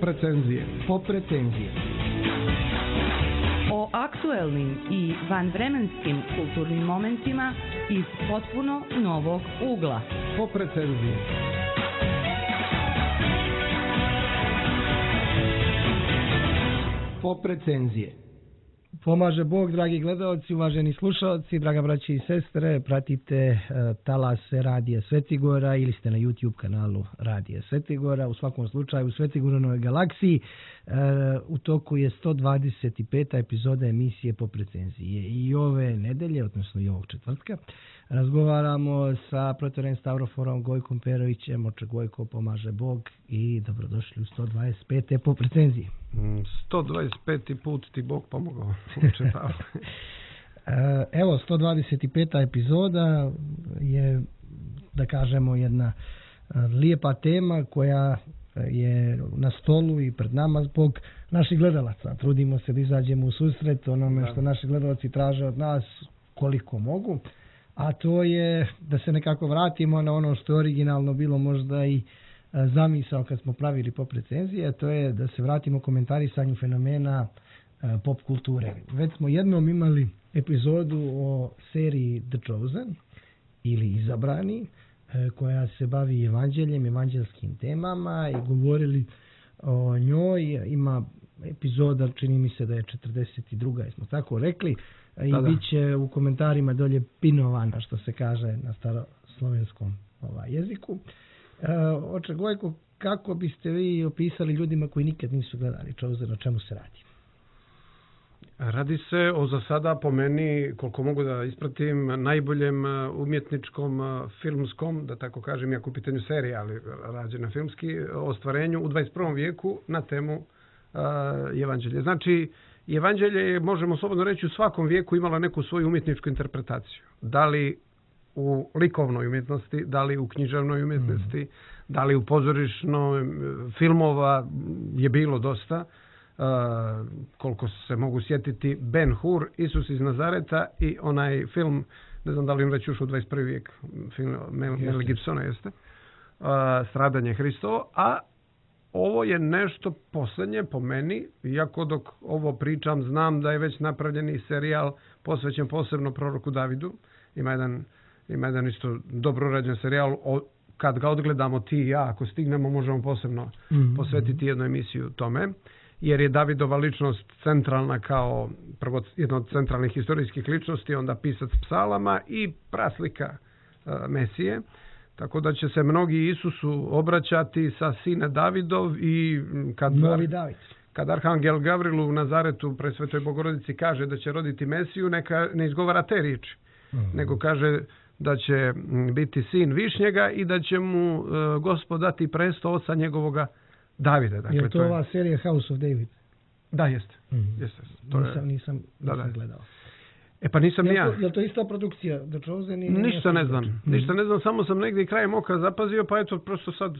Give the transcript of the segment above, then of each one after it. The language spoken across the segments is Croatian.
Poprecenzije. Poprecenzije. O aktuelnim i vanvremenskim kulturnim momentima iz potpuno novog ugla. Poprecenzije. Poprecenzije. Pomaže Bog, dragi gledalci, uvaženi slušalci, draga braći i sestre, pratite talase Radija Svetigora ili ste na YouTube kanalu Radija Svetigora. U svakom slučaju u Svetigorovoj galaksiji u toku je 125. epizoda emisije Poprecenzije. I ove nedelje, odnosno i ovog četvrtka, razgovaramo sa protoren Stavroforom Gojkom Perovićem. Oče Gojko, pomaže Bog i dobrodošli u 125. Poprecenzije. 125. put ti Bog pomogao. Evo, 125. epizoda je, da kažemo, jedna lijepa tema koja je na stolu i pred nama zbog naših gledalaca. Trudimo se da izađemo u susret onome što naši gledalci traže od nas koliko mogu, a to je da se nekako vratimo na ono što je originalno bilo možda i zamisao kad smo pravili Poprecenzije, to je da se vratimo komentarisanju fenomena pop kulture. Već smo jednom imali epizodu o seriji The Chosen ili Izabrani, koja se bavi evanđeljem, evanđelskim temama i govorili o njoj. Ima epizoda, čini mi se da je 42. smo tako rekli, i bit će u komentarima dolje pinovana, što se kaže na staroslovenskom jeziku. Oče Gojko, kako biste vi opisali ljudima koji nikad nisu gledali Chosen, o čemu se radi? Radi se o, za sada, po meni, koliko mogu da ispratim, najboljem umjetničkom, filmskom, da tako kažem, iako u pitanju serija, ali rađena filmski, ostvarenju u 21. vijeku na temu evanđelje. Znači, evanđelje je, možemo slobodno reći, u svakom vijeku imalo neku svoju umjetničku interpretaciju. Da li u likovnoj umjetnosti, da li u književnoj umjetnosti, da li u pozorišnoj, filmova je bilo dosta. Koliko se mogu sjetiti, Ben Hur, Isus iz Nazareta i onaj film, ne znam da li im već ušao u 21. vijek, film Mel Gibsona jeste, Stradanje Hristovo, a ovo je nešto posljednje po meni, iako dok ovo pričam znam da je već napravljeni serijal posvećen posebno proroku Davidu. Ima jedan isto dobro urađen serijal, kad ga odgledamo ti i ja, ako stignemo, možemo posebno posvetiti jednu emisiju tome, jer je Davidova ličnost centralna kao prvo jedna od centralnih historijskih ličnosti, onda pisac psalama i praslika Mesije. Tako da će se mnogi Isusu obraćati sa sine Davidov i kad Arhangel Gavril u Nazaretu Presvetoj Bogorodici kaže da će roditi Mesiju, neka ne izgovara te riječi, nego kaže da će biti sin Višnjega i da će mu Gospod dati presto oca njegovoga Davida. Dakle, je to ova serija House of David? Da, jeste. Nisam gledao. Pa nisam ja. Je li to ista produkcija? The Chosen? Ništa ne znam, samo sam negdje krajem oka zapazio, pa eto, prosto sad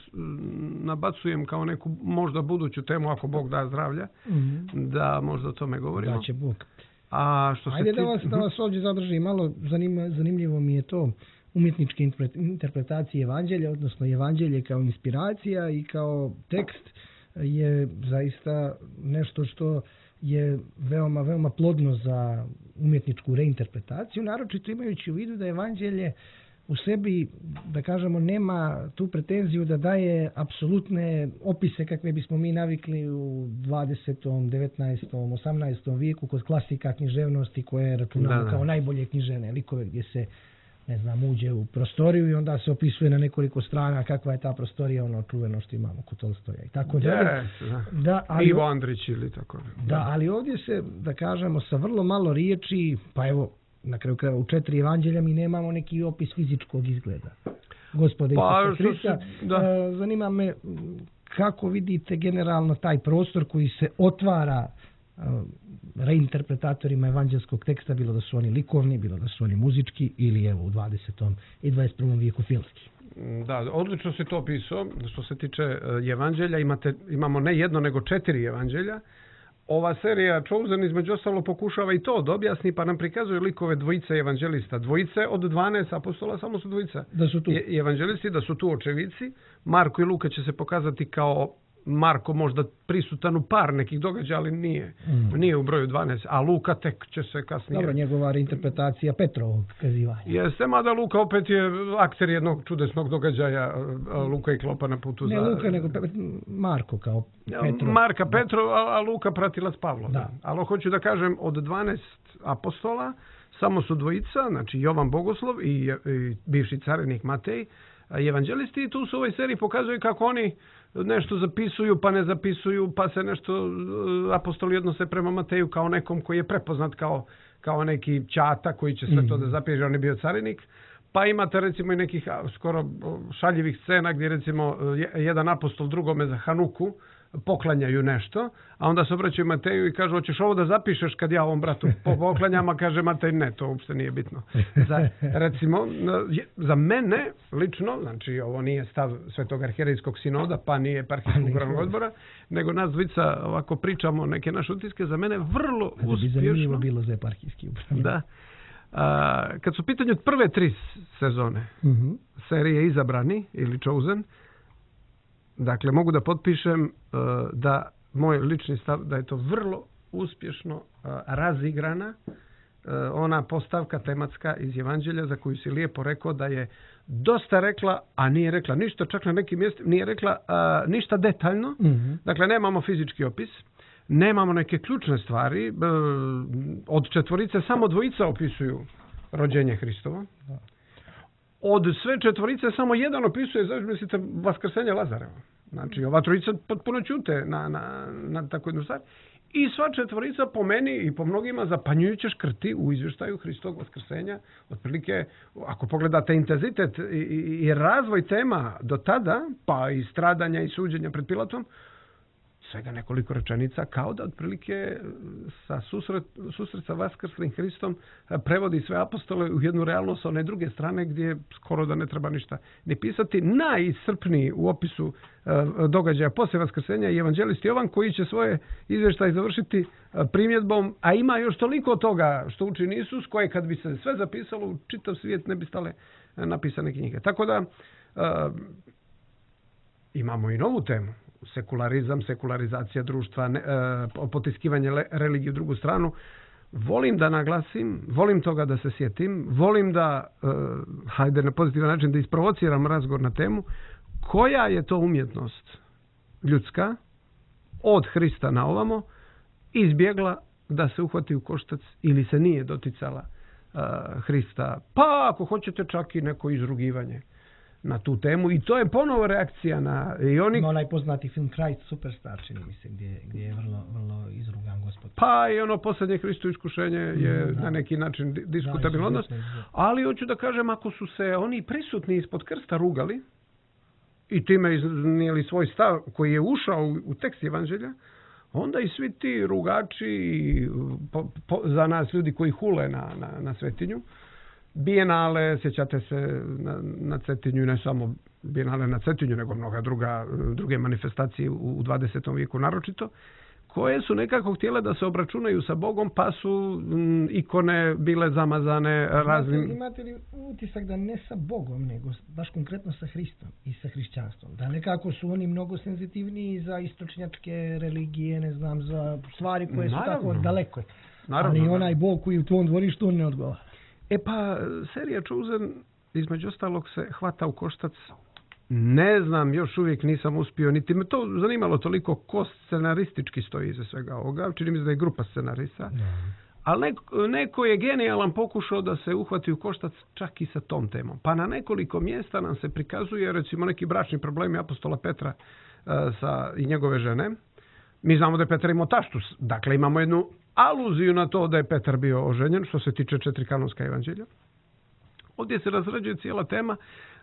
nabacujem kao neku možda buduću temu, ako Bog da zdravlja, da možda o tome govorimo. Da će Bog. Ajde da vas ovdje zadrži malo, zanimljivo mi je to umjetničke interpretacije evanđelja, odnosno evanđelje kao inspiracija i kao tekst je zaista nešto što je veoma, veoma plodno za umjetničku reinterpretaciju, naročito imajući u vidu da evanđelje u sebi, da kažemo, nema tu pretenziju da daje apsolutne opise kakve bismo mi navikli u 20., 19., 18. vijeku kod klasika književnosti koje računamo kao najbolje književne likove, gdje se, ne znam, uđe u prostoriju i onda se opisuje na nekoliko strana kakva je ta prostorija, ono čuveno što imamo kod Tolstoja i tako dalje. Ivo Andrić ili tako. Ali ovdje se, da kažemo, sa vrlo malo riječi, pa evo, na kraju krajeva u 4 evanđelja mi nemamo neki opis fizičkog izgleda Gospoda Isusa Hrista. Zanima me kako vidite generalno taj prostor koji se otvara reinterpretatorima evanđelskog teksta, bilo da su oni likovni, bilo da su oni muzički ili evo u 20. i 21. vijeku filmski. Da, odlično si to opisao. Što se tiče evanđelja, imamo ne jedno nego 4 evanđelja. Ova serija Chosen između ostalo pokušava i to da objasni, pa nam prikazuje likove dvojice evanđelista. Dvojice od 12 apostola, samo su dvojica. Da su tu. Evanđelisti, da su tu očevici. Marko i Luka će se pokazati kao Marko možda prisutan u par nekih događaja, ali nije u broju 12, a Luka tek će se kasnije... Dobro, njegova interpretacija Petrovog kazivanja. Jeste, mada Luka opet je akter jednog čudesnog događaja, Luka i Klopa na putu ne Luka, nego Marko kao Petrov. Marka Petrov, a Luka pratilac Pavlov. Da. Ali hoću da kažem, od 12 apostola samo su dvojica, znači Jovan Bogoslov i bivši carinik Matej, evanđelisti, i tu su u ovoj seriji pokazuju kako oni nešto zapisuju, pa ne zapisuju, pa se nešto apostoli odnose prema Mateju kao nekom koji je prepoznat kao neki ćata koji će sve to da zapiše, on je bio carinik. Pa imate recimo i nekih skoro šaljivih scena gdje recimo jedan apostol drugome za Hanuku poklanjaju nešto, a onda se obraćaju Mateju i kažu, hoćeš ovo da zapišeš kad ja ovom bratu poklanjam, a kaže Matej, ne, to uopšte nije bitno. Recimo, za mene lično, znači ovo nije stav Svetog arhijerejskog sinoda, pa nije eparhijskog upravnog odbora, nego nas dvojica ovako pričamo neke naše utiske, za mene vrlo uspješno. Zanimljivo bilo za eparhijski upravnik. Da. Kad su u pitanju prve 3 sezone serije Izabrani ili Chosen, dakle, mogu da potpišem da moj lični stav da je to vrlo uspješno razigrana ona postavka tematska iz Evanđelja za koju si lijepo rekao da je dosta rekla, a nije rekla ništa, čak na nekim mjestima nije rekla ništa detaljno. Dakle, nemamo fizički opis, nemamo neke ključne stvari. Od 4 samo 2 opisuju rođenje Hristovo. Od sve 4 samo 1 opisuje, znači mislite, vaskrsenje Lazareva. Znači, ova 3 potpuno ćute na takvu jednu stvar. I sva 4 po meni i po mnogima zapanjujuće škrti u izvještaju Hristovog vaskrsenja. Otprilike, ako pogledate intenzitet i razvoj tema do tada, pa i stradanja i suđenja pred Pilatom, svega nekoliko rečenica, kao da otprilike sa susret sa vaskrslim Hristom prevodi sve apostole u jednu realnost sa one druge strane gdje skoro da ne treba ništa ni pisati. Najiscrpniji u opisu događaja poslije vaskrsenja je evanđelist Jovan, koji će svoje izvještaje završiti primjedbom, a ima još toliko toga što učini Isus, koje kad bi se sve zapisalo u čitav svijet ne bi stale napisane knjige. Tako da imamo i novu temu. Sekularizam, sekularizacija društva, potiskivanje religije u drugu stranu. Volim da naglasim, volim toga da se sjetim, volim da, hajde na pozitivan način, da isprovociram razgovor na temu koja je to umjetnost ljudska od Hrista na ovamo izbjegla da se uhvati u koštac ili se nije doticala Hrista, pa ako hoćete čak i neko izrugivanje na tu temu, i to je ponovo reakcija na... Onaj poznati film Christ Superstar, čini mi se, gdje je vrlo izrugan Gospod. Pa i ono posljednje Hristo iskušenje je na neki način diskutabilno, ali hoću da kažem, ako su se oni prisutni ispod krsta rugali i time iznijeli svoj stav koji je ušao u tekst Evanđelja, onda i svi ti rugači za nas ljudi koji hule na Svetinju, Bijenale, sjećate se na Cetinju, ne samo Bijenale na Cetinju, nego mnoga druge manifestacije u 20. vijeku naročito, koje su nekako htjele da se obračunaju sa Bogom, pa su ikone bile zamazane raznim... Imate li utisak da ne sa Bogom, nego baš konkretno sa Hristom i sa hrišćanstvom? Da nekako su oni mnogo senzitivniji za istočnjačke religije, ne znam, za stvari koje su tako daleko. Ali onaj Bog koji u tvom dvorištu on ne odgovara. E pa, serija Chosen, između ostalog, se hvata u koštac. Ne znam, još uvijek nisam uspio, niti me to zanimalo toliko ko scenaristički stoji iza svega ovoga. Čini mi se da je grupa scenarista. Ali neko je genijalan pokušao da se uhvati u koštac čak i sa tom temom. Pa na nekoliko mjesta nam se prikazuje, recimo, neki bračni problemi apostola Petra i njegove žene. Mi znamo da je Petar imao taštu. Dakle, imamo jednu aluziju na to da je Petar bio oženjen, što se tiče 4 kanonska evanđelja. Ovdje se razrađuje cijela tema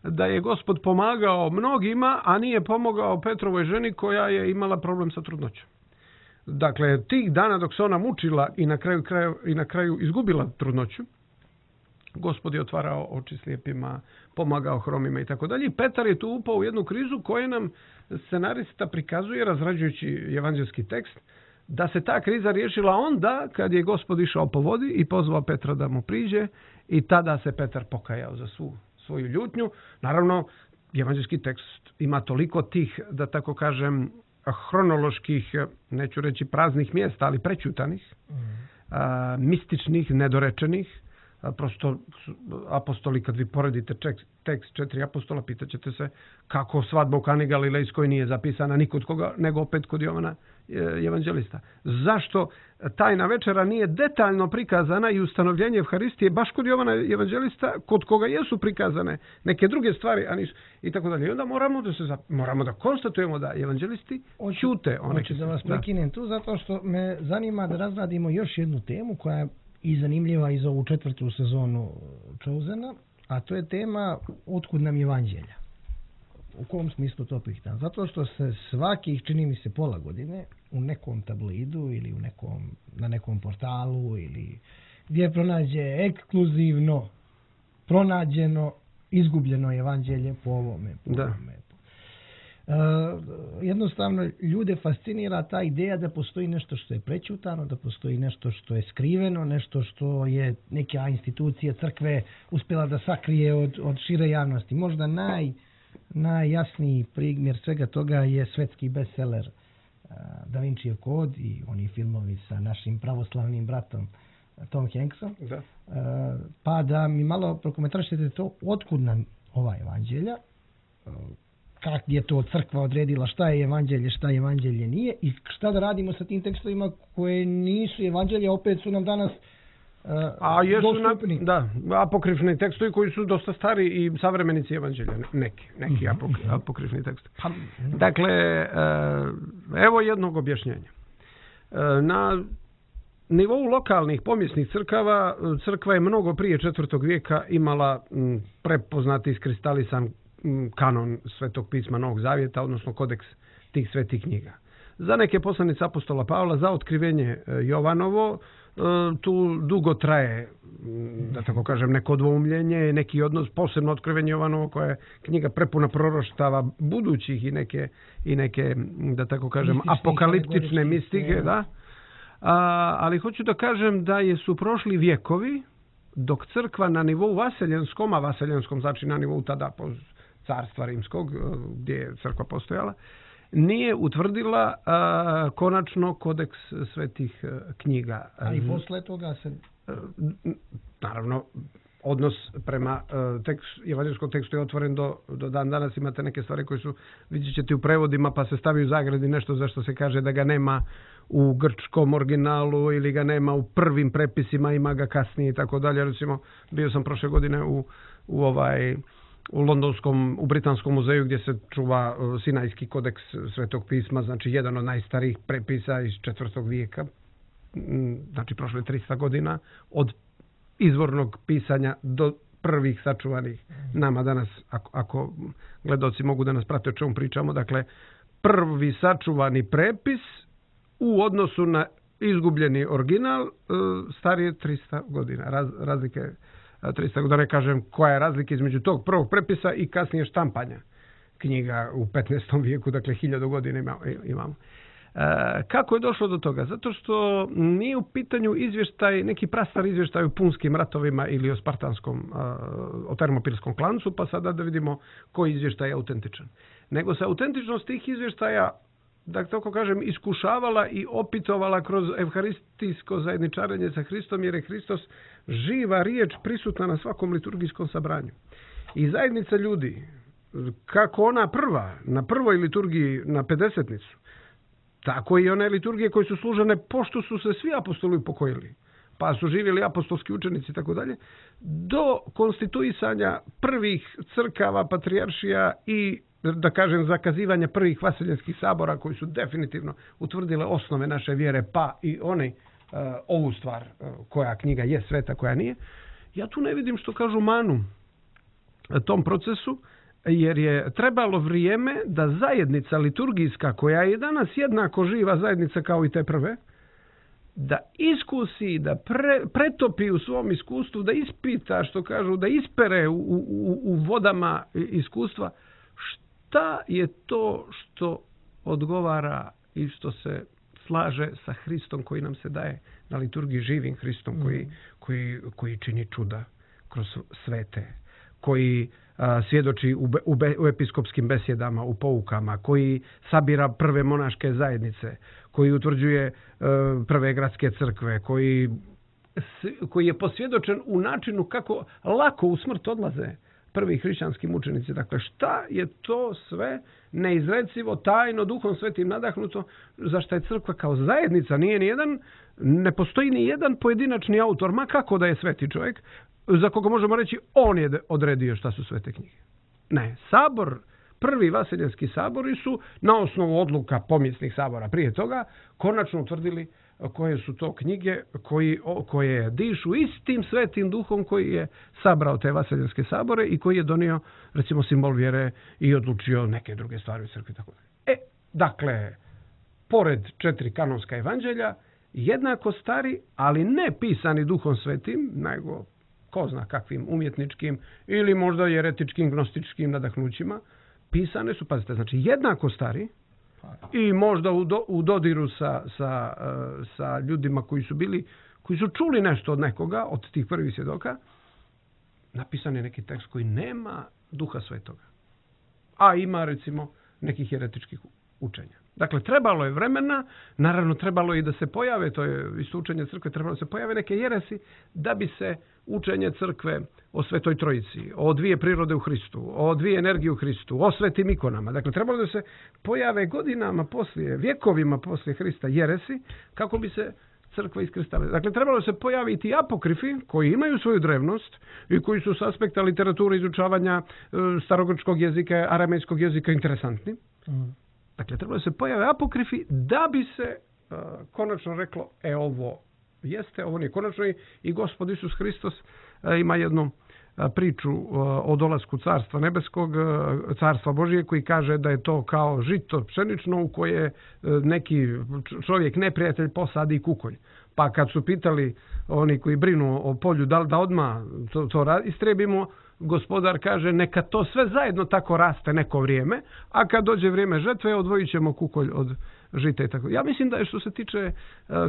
da je Gospod pomagao mnogima, a nije pomogao Petrovoj ženi koja je imala problem sa trudnoćom. Dakle, tih dana dok se ona mučila i na kraju izgubila trudnoću, Gospod je otvarao oči slijepima, pomagao hromima i tako dalje. Petar je tu upao u jednu krizu koju nam scenarista prikazuje, razrađujući evanđelski tekst, da se ta kriza riješila onda kad je Gospod išao po vodi i pozvao Petra da mu priđe, i tada se Petar pokajao za svoju ljutnju. Naravno, evanđelski tekst ima toliko tih, da tako kažem, hronoloških, neću reći praznih mjesta, ali prećutanih, mističnih, nedorečenih. Prosto apostoli, kad vi poredite tekst 4 apostola, pitaćete se kako svadba u Kani Galilejskoj nije zapisana ni kod koga, nego opet kod Jovana evanđelista. Zašto tajna večera nije detaljno prikazana i ustanovljenje Evharistije baš kod Jovana evanđelista, kod koga jesu prikazane neke druge stvari, a nisu, i tako dalje. I onda moramo da konstatujemo da evanđelisti ćute. Hoću da vas prekinem tu, zato što me zanima da razradimo još jednu temu koja je i zanimljiva i za ovu 4. sezonu Chosena, a to je tema otkud nam evanđelja. U kom smislu to pitam? Zato što se svakih, čini mi se, pola godine u nekom tabloidu ili na nekom portalu ili gdje pronađe ekskluzivno pronađeno izgubljeno evanđelje po ovome. Jednostavno ljude fascinira ta ideja da postoji nešto što je prećutano, da postoji nešto što je skriveno, nešto što je neka institucija crkve uspjela da sakrije od šire javnosti. Možda najjasniji primjer svega toga je svetski bestseller Da Vincijev kod i oni filmovi sa našim pravoslavnim bratom Tom Hanksom. Pa da mi malo prokomentarišete to, otkud nam ova evanđelja, kako je to crkva odredila šta je evanđelje nije i šta da radimo sa tim tekstovima koje nisu evanđelje, opet su nam danas dostupni. Apokrifni tekstovi koji su dosta stari i savremenici evanđelja, neki apokrifni tekstovi. Dakle, evo jednog objašnjenja. Na nivou lokalnih pomjesnih crkava, crkva je mnogo prije 4. vijeka imala prepoznati iskristalisan kanon Svetog pisma Novog Zavjeta, odnosno kodeks tih svetih knjiga. Za neke poslanice apostola Pavla, za otkrivenje Jovanovo, tu dugo traje, da tako kažem, neko dvoumljenje, neki odnos, posebno otkrivenje Jovanovo, koja je knjiga prepuna proroštava budućih i neke, da tako kažem, apokaliptične mistike, da. Ali hoću da kažem da su prošli vjekovi dok crkva na nivou vaseljenskom, a vaseljenskom znači na nivou tada carstva rimskog, gdje je crkva postojala, nije utvrdila konačno kodeks svetih knjiga. A i posle toga se... Naravno, odnos prema evanđelskom tekstu je otvoren do dan danas. Imate neke stvari koje su, vidjet ćete u prevodima, pa se stavi u zagradi nešto zašto se kaže da ga nema u grčkom originalu ili ga nema u prvim prepisima, ima ga kasnije i tako dalje. Recimo, bio sam prošle godine u londonskom, u Britanskom muzeju gdje se čuva Sinajski kodeks Svetog pisma, znači jedan od najstarijih prepisa iz 4. vijeka, znači prošle 300 godina od izvornog pisanja do prvih sačuvanih nama danas, ako gledaoci mogu da nas prate o čemu pričamo. Dakle, prvi sačuvani prepis u odnosu na izgubljeni original starije 300 godina. Razlike 300 godina, ne kažem koja je razlika između tog prvog prepisa i kasnije štampanja knjiga u 15. vijeku, dakle 1000 godina imamo. Kako je došlo do toga? Zato što nije u pitanju izvještaj, neki prastar izvještaj o punskim ratovima ili o spartanskom, o termopilskom klancu, pa sada da vidimo koji izvještaj je autentičan. Nego se autentičnost tih izvještaja, da tako kažem, iskušavala i opitovala kroz evharistijsko zajedničarenje sa Hristom, jer je Hristos živa riječ prisutna na svakom liturgijskom sabranju. I zajednica ljudi, kako ona na prvoj liturgiji na Pedesetnicu, tako i one liturgije koje su služene pošto su se svi apostoli upokojili, pa su živjeli apostolski učenici i tako dalje, do konstituisanja prvih crkava, patrijaršija i, da kažem, zakazivanja prvih vaseljenskih sabora koji su definitivno utvrdile osnove naše vjere, pa i ovu stvar koja knjiga je sveta, koja nije. Ja tu ne vidim, što kažu, manu tom procesu, jer je trebalo vrijeme da zajednica liturgijska, koja je danas jednako živa zajednica kao i te prve, da iskusi, da pretopi u svom iskustvu, da ispita, što kažu, da ispere u vodama iskustva šta je to što odgovara i što se slaže sa Hristom koji nam se daje na liturgiji, živim Hristom koji čini čuda kroz svete, koji svjedoči u episkopskim besjedama, u poukama, koji sabira prve monaške zajednice, koji utvrđuje prve gradske crkve, koji je posvjedočen u načinu kako lako u smrt odlaze prvi hrišćanski mučenici. Dakle, šta je to sve neizrecivo, tajno, Duhom Svetim nadahnuto, za što je crkva kao zajednica, ne postoji ni jedan pojedinačni autor, ma kako da je sveti čovjek, za koga možemo reći on je odredio šta su svete knjige. Ne, sabor, prvi vaseljenski sabori su na osnovu odluka pomjesnih sabora prije toga konačno utvrdili koje su to knjige koje dišu istim svetim duhom koji je sabrao te vaseljenske sabore i koji je donio, recimo, simbol vjere i odlučio neke druge stvari u crkvi. Dakle, pored 4 kanonska evanđelja, jednako stari, ali ne pisani Duhom Svetim, nego ko zna kakvim umjetničkim ili možda jeretičkim, gnostičkim nadahnućima, pisane su, pazite, znači jednako stari i možda u dodiru sa ljudima koji su čuli nešto od nekoga, od tih prvih svjedoka, napisan je neki tekst koji nema Duha Svetoga, a ima, recimo, nekih jeretičkih učenja. Dakle, trebalo je vremena, naravno trebalo je i da se pojave, to je isto učenje crkve, trebalo da se pojave neke jeresi da bi se učenje crkve o Svetoj Trojici, o dvije prirode u Hristu, o dvije energije u Hristu, o svetim ikonama. Dakle, trebalo da se pojave godinama poslije, vjekovima poslije Hrista jeresi, kako bi se crkva iskristala. Dakle, trebalo se pojaviti apokrifi koji imaju svoju drevnost i koji su s aspekta literature izučavanja starogrčkog jezika, aramejskog jezika interesantni. Dakle, trebalo se pojave apokrifi da bi se konačno reklo, ovo jeste, ovo nije konačno. I Gospod Isus Hristos ima jednu priču o dolasku Carstva nebeskog, Carstva Božije, koji kaže da je to kao žito pšenično u koje neki čovjek, neprijatelj, posadi kukolj. Pa kad su pitali oni koji brinu o polju da odmah to istrebimo, Gospodar kaže neka to sve zajedno tako raste neko vrijeme, a kad dođe vrijeme žetve odvojit ćemo kukolj od žita i tako. Ja mislim da je što se tiče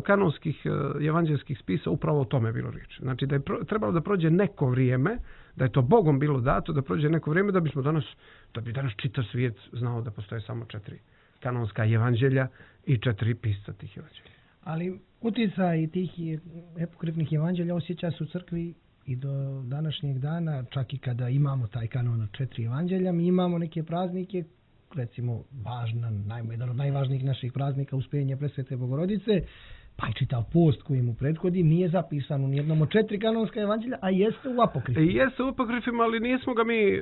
kanonskih evanđelskih spisa upravo o tome bilo riječ. Znači da je trebalo da prođe neko vrijeme, da je to Bogom bilo dato da prođe neko vrijeme da bi danas čitav svijet znao da postoje samo 4 kanonska evanđelja i 4 pisca tih evanđelja. Ali utjecaj tih epokrifnih evanđelja osjeća se u crkvi i do današnjeg dana, čak i kada imamo taj kanon od 4 evanđelja, mi imamo neke praznike, recimo jedan od najvažnijih naših praznika, Uspenje Presvete Bogorodice, pa i čitav post koji mu prethodi, nije zapisan u nijednom od 4 kanonska evanđelja, a jeste u apokrifima. Jeste u apokrifima, ali nismo ga mi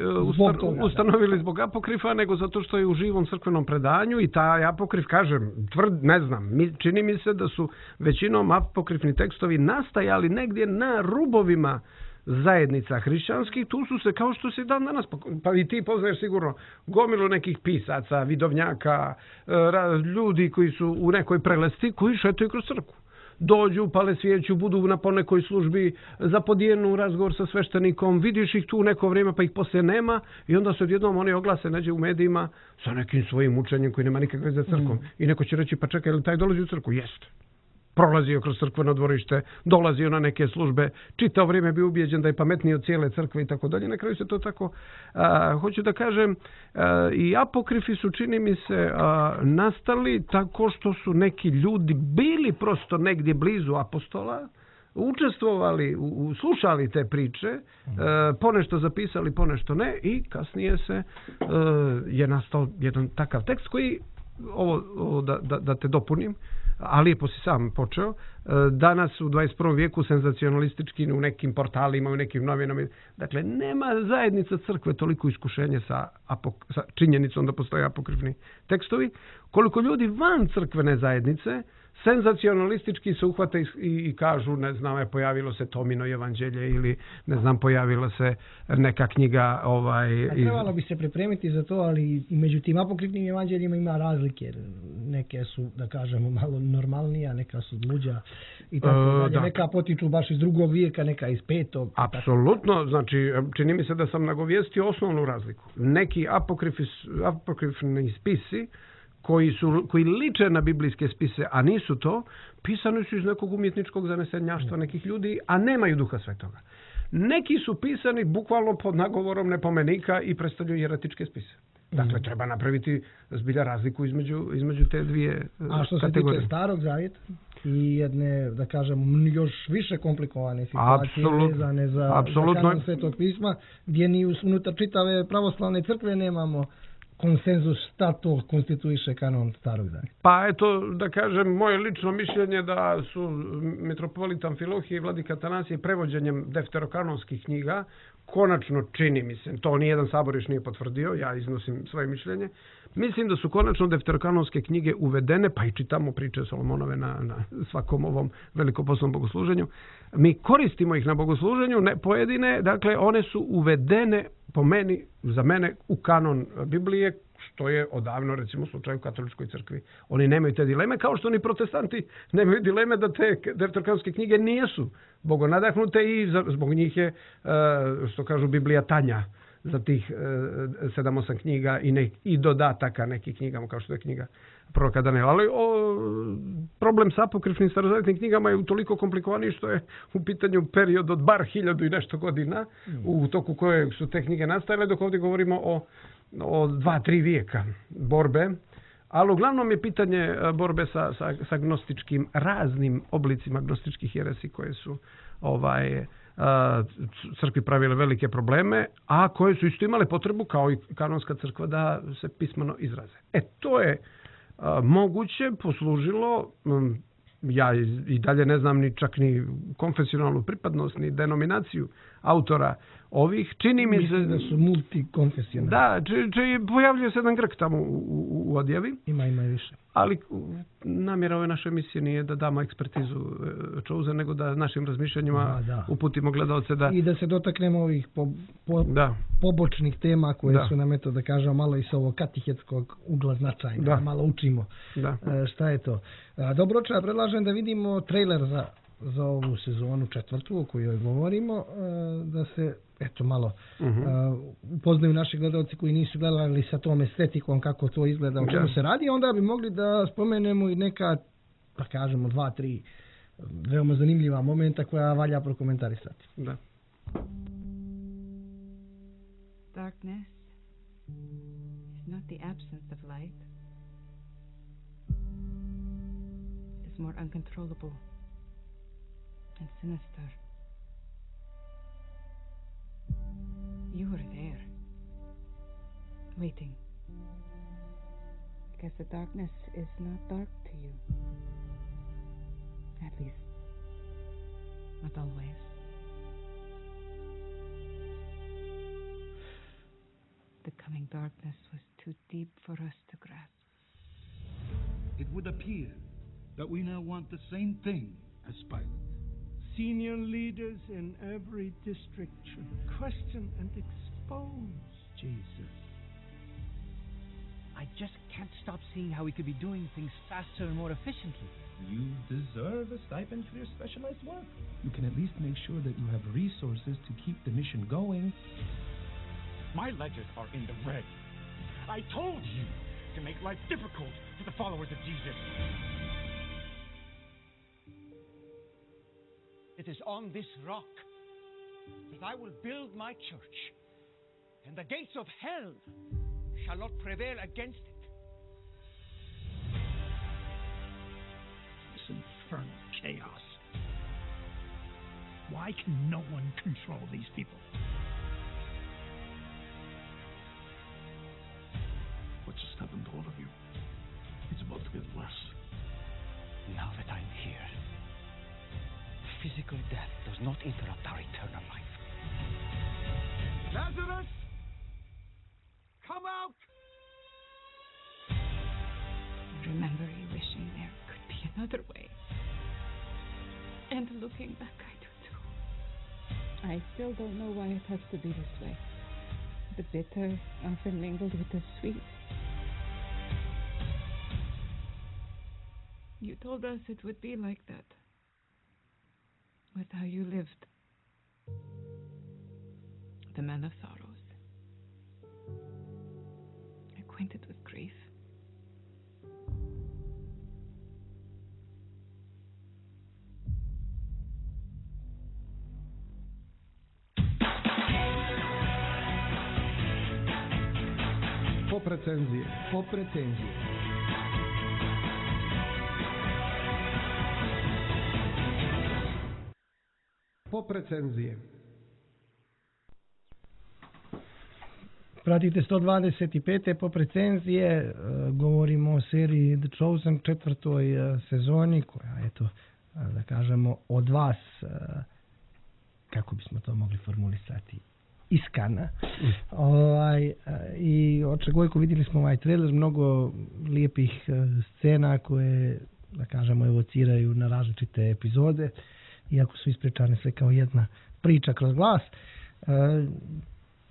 ustanovili zbog apokrifa, nego zato što je u živom crkvenom predanju i taj apokrif, kažem, čini mi se da su većinom apokrifni tekstovi nastajali negdje na rubovima zajednica hrišćanskih. Tu su se, kao što se dan danas, pa i ti poznaješ sigurno gomilu nekih pisaca, vidovnjaka, ljudi koji su u nekoj prelesti, koji šetaju kroz crkvu. Dođu, pale svijeću, budu na ponekoj službi, zapodijenu razgovor sa sveštenikom, vidiš ih tu u neko vrijeme pa ih poslije nema i onda se odjednom oni oglase nađe u medijima sa nekim svojim učenjem koji nema nikakve veze sa crkvom. I neko će reći, pa čekaj, ili taj dolazi u crkvu? Jeste. Prolazio kroz crkveno dvorište, dolazio na neke službe, čitao vrijeme bio ubijeđen da je pametniji od cijele crkve i tako dalje. Na kraju se to tako, hoću da kažem, i apokrifi su, čini mi se, nastali tako što su neki ljudi bili prosto negdje blizu apostola, učestvovali, slušali te priče, ponešto zapisali, ponešto ne, i kasnije je nastao jedan takav tekst koji, ovo da te dopunim, a lijepo si sam počeo, danas u 21. vijeku senzacionalistički u nekim portalima, u nekim novinama. Dakle, nema zajednica crkve toliko iskušenje sa činjenicom da postoje apokrifni tekstovi, koliko ljudi van crkvene zajednice senzacionalistički se uhvate i kažu, ne znam, pojavilo se Tomino evanđelje ili, ne znam, pojavila se neka knjiga. Trebalo bi se pripremiti za to, ali i među tim apokrifnim evanđeljima ima razlike. Neke su, da kažemo, malo normalnija, neka su luđa i tako dalje. Neka potiču baš iz 2. vijeka, neka iz 5. Apsolutno, znači, čini mi se da sam nagovijestio osnovnu razliku. Neki apokrifni spisi koji liče na biblijske spise, a nisu to, pisani su iz nekog umjetničkog zanesenjaštva nekih ljudi, a nemaju Duha Svetoga. Neki su pisani bukvalno pod nagovorom nepomenika i predstavljaju jeretičke spise. Dakle, treba napraviti zbilja razliku između te dvije kategorije. A što se tiče Starog Zavjeta i jedne, da kažem, još više komplikovane situacije vezane za kanon Svetog pisma, gdje ni unutar čitave pravoslavne crkve nemamo konsenzus šta to konstituiše kanon Starog Zavjeta. Pa eto, da kažem, moje lično mišljenje da su mitropolit Amfilohije i vladika Atanasije prevođenjem defterokanonskih knjiga, konačno čini mi se, to nijedan sabor još nije potvrdio, ja iznosim svoje mišljenje, mislim da su konačno defterokanonske knjige uvedene, pa i čitamo priče Solomonove na svakom ovom velikoposnom bogosluženju. Mi koristimo ih na bogosluženju, ne pojedine, dakle one su uvedene po meni, za mene, u kanon Biblije, što je odavno, recimo, slučaj u katoličkoj crkvi. Oni nemaju te dileme, kao što ni protestanti nemaju dileme da te defterokanonske knjige nijesu bogonadahnute i zbog njih je, što kažu, Biblija tanja za tih 7-8 knjiga i dodataka nekih knjigama, kao što je knjiga proroka Daniela. Ali problem sa apokrifnim starozavjetnim knjigama je utoliko komplikovaniji što je u pitanju period od bar 1000 i nešto godina u toku kojeg su te knjige nastajale, dok ovdje govorimo o 2-3 vijeka borbe. Ali uglavnom je pitanje borbe sa gnostičkim, raznim oblicima gnostičkih jeresi koje su crkvi pravile velike probleme, a koje su isto imale potrebu, kao i kanonska crkva, da se pismeno izraze. To je moguće poslužilo, ja i dalje ne znam ni čak ni konfesionalnu pripadnost, ni denominaciju autora ovih. Čini mi se da su multikonfesionalni. Da, pojavljuje se jedan Grk tamo u odjavi. Ima više. Ali namjera ove naše emisije nije da damo ekspertizu Chosen, nego da našim razmišljanjima uputimo gledalce da... I da se dotaknemo ovih pobočnih tema koje su nam, eto da kažemo, malo iz ovog katehetskog ugla značajne. Da malo učimo šta je to. Dobro, ja predlažem da vidimo trailer za ovu sezonu 4. o kojoj govorimo, da se malo upoznaju naši gledalci koji nisu gledali sa tom estetikom kako to izgleda, o čemu se radi, onda bi mogli da spomenemo i neka, da kažemo, 2-3 veoma zanimljiva momenta koja valja prokomentarisati. Da. Darkness is not the absence of light. It is more uncontrollable and sinister. You were there, waiting, because the darkness is not dark to you. At least, not always. The coming darkness was too deep for us to grasp. It would appear that we now want the same thing as Pilate. Senior leaders in every district should question and expose Jesus. I just can't stop seeing how we could be doing things faster and more efficiently. You deserve a stipend for your specialized work. You can at least make sure that you have resources to keep the mission going. My ledgers are in the red. I told you to make life difficult for the followers of Jesus. It is on this rock that I will build my church, and the gates of hell shall not prevail against it. This infernal chaos. Why can no one control these people? What just happened to all of you? It's about to get worse. Now that I'm here, physical death does not interrupt our eternal life. Lazarus! Come out! Remember you wishing there could be another way. And looking back, I do too. I still don't know why it has to be this way. The bitter often mingled with the sweet. You told us it would be like that. With how you lived. The man of sorrows. Acquainted with grief. Pop recenzije. Pratite 125. Pop recenzije, govorimo o seriji The Chosen, 4. sezoni, koja, eto, da kažemo, od vas, kako bismo to mogli formulisati, iskana. I očekujemo, vidjeli smo ovaj trailer, mnogo lijepih scena koje, da kažemo, evociraju na različite epizode, iako su ispričane sve kao jedna priča kroz glas.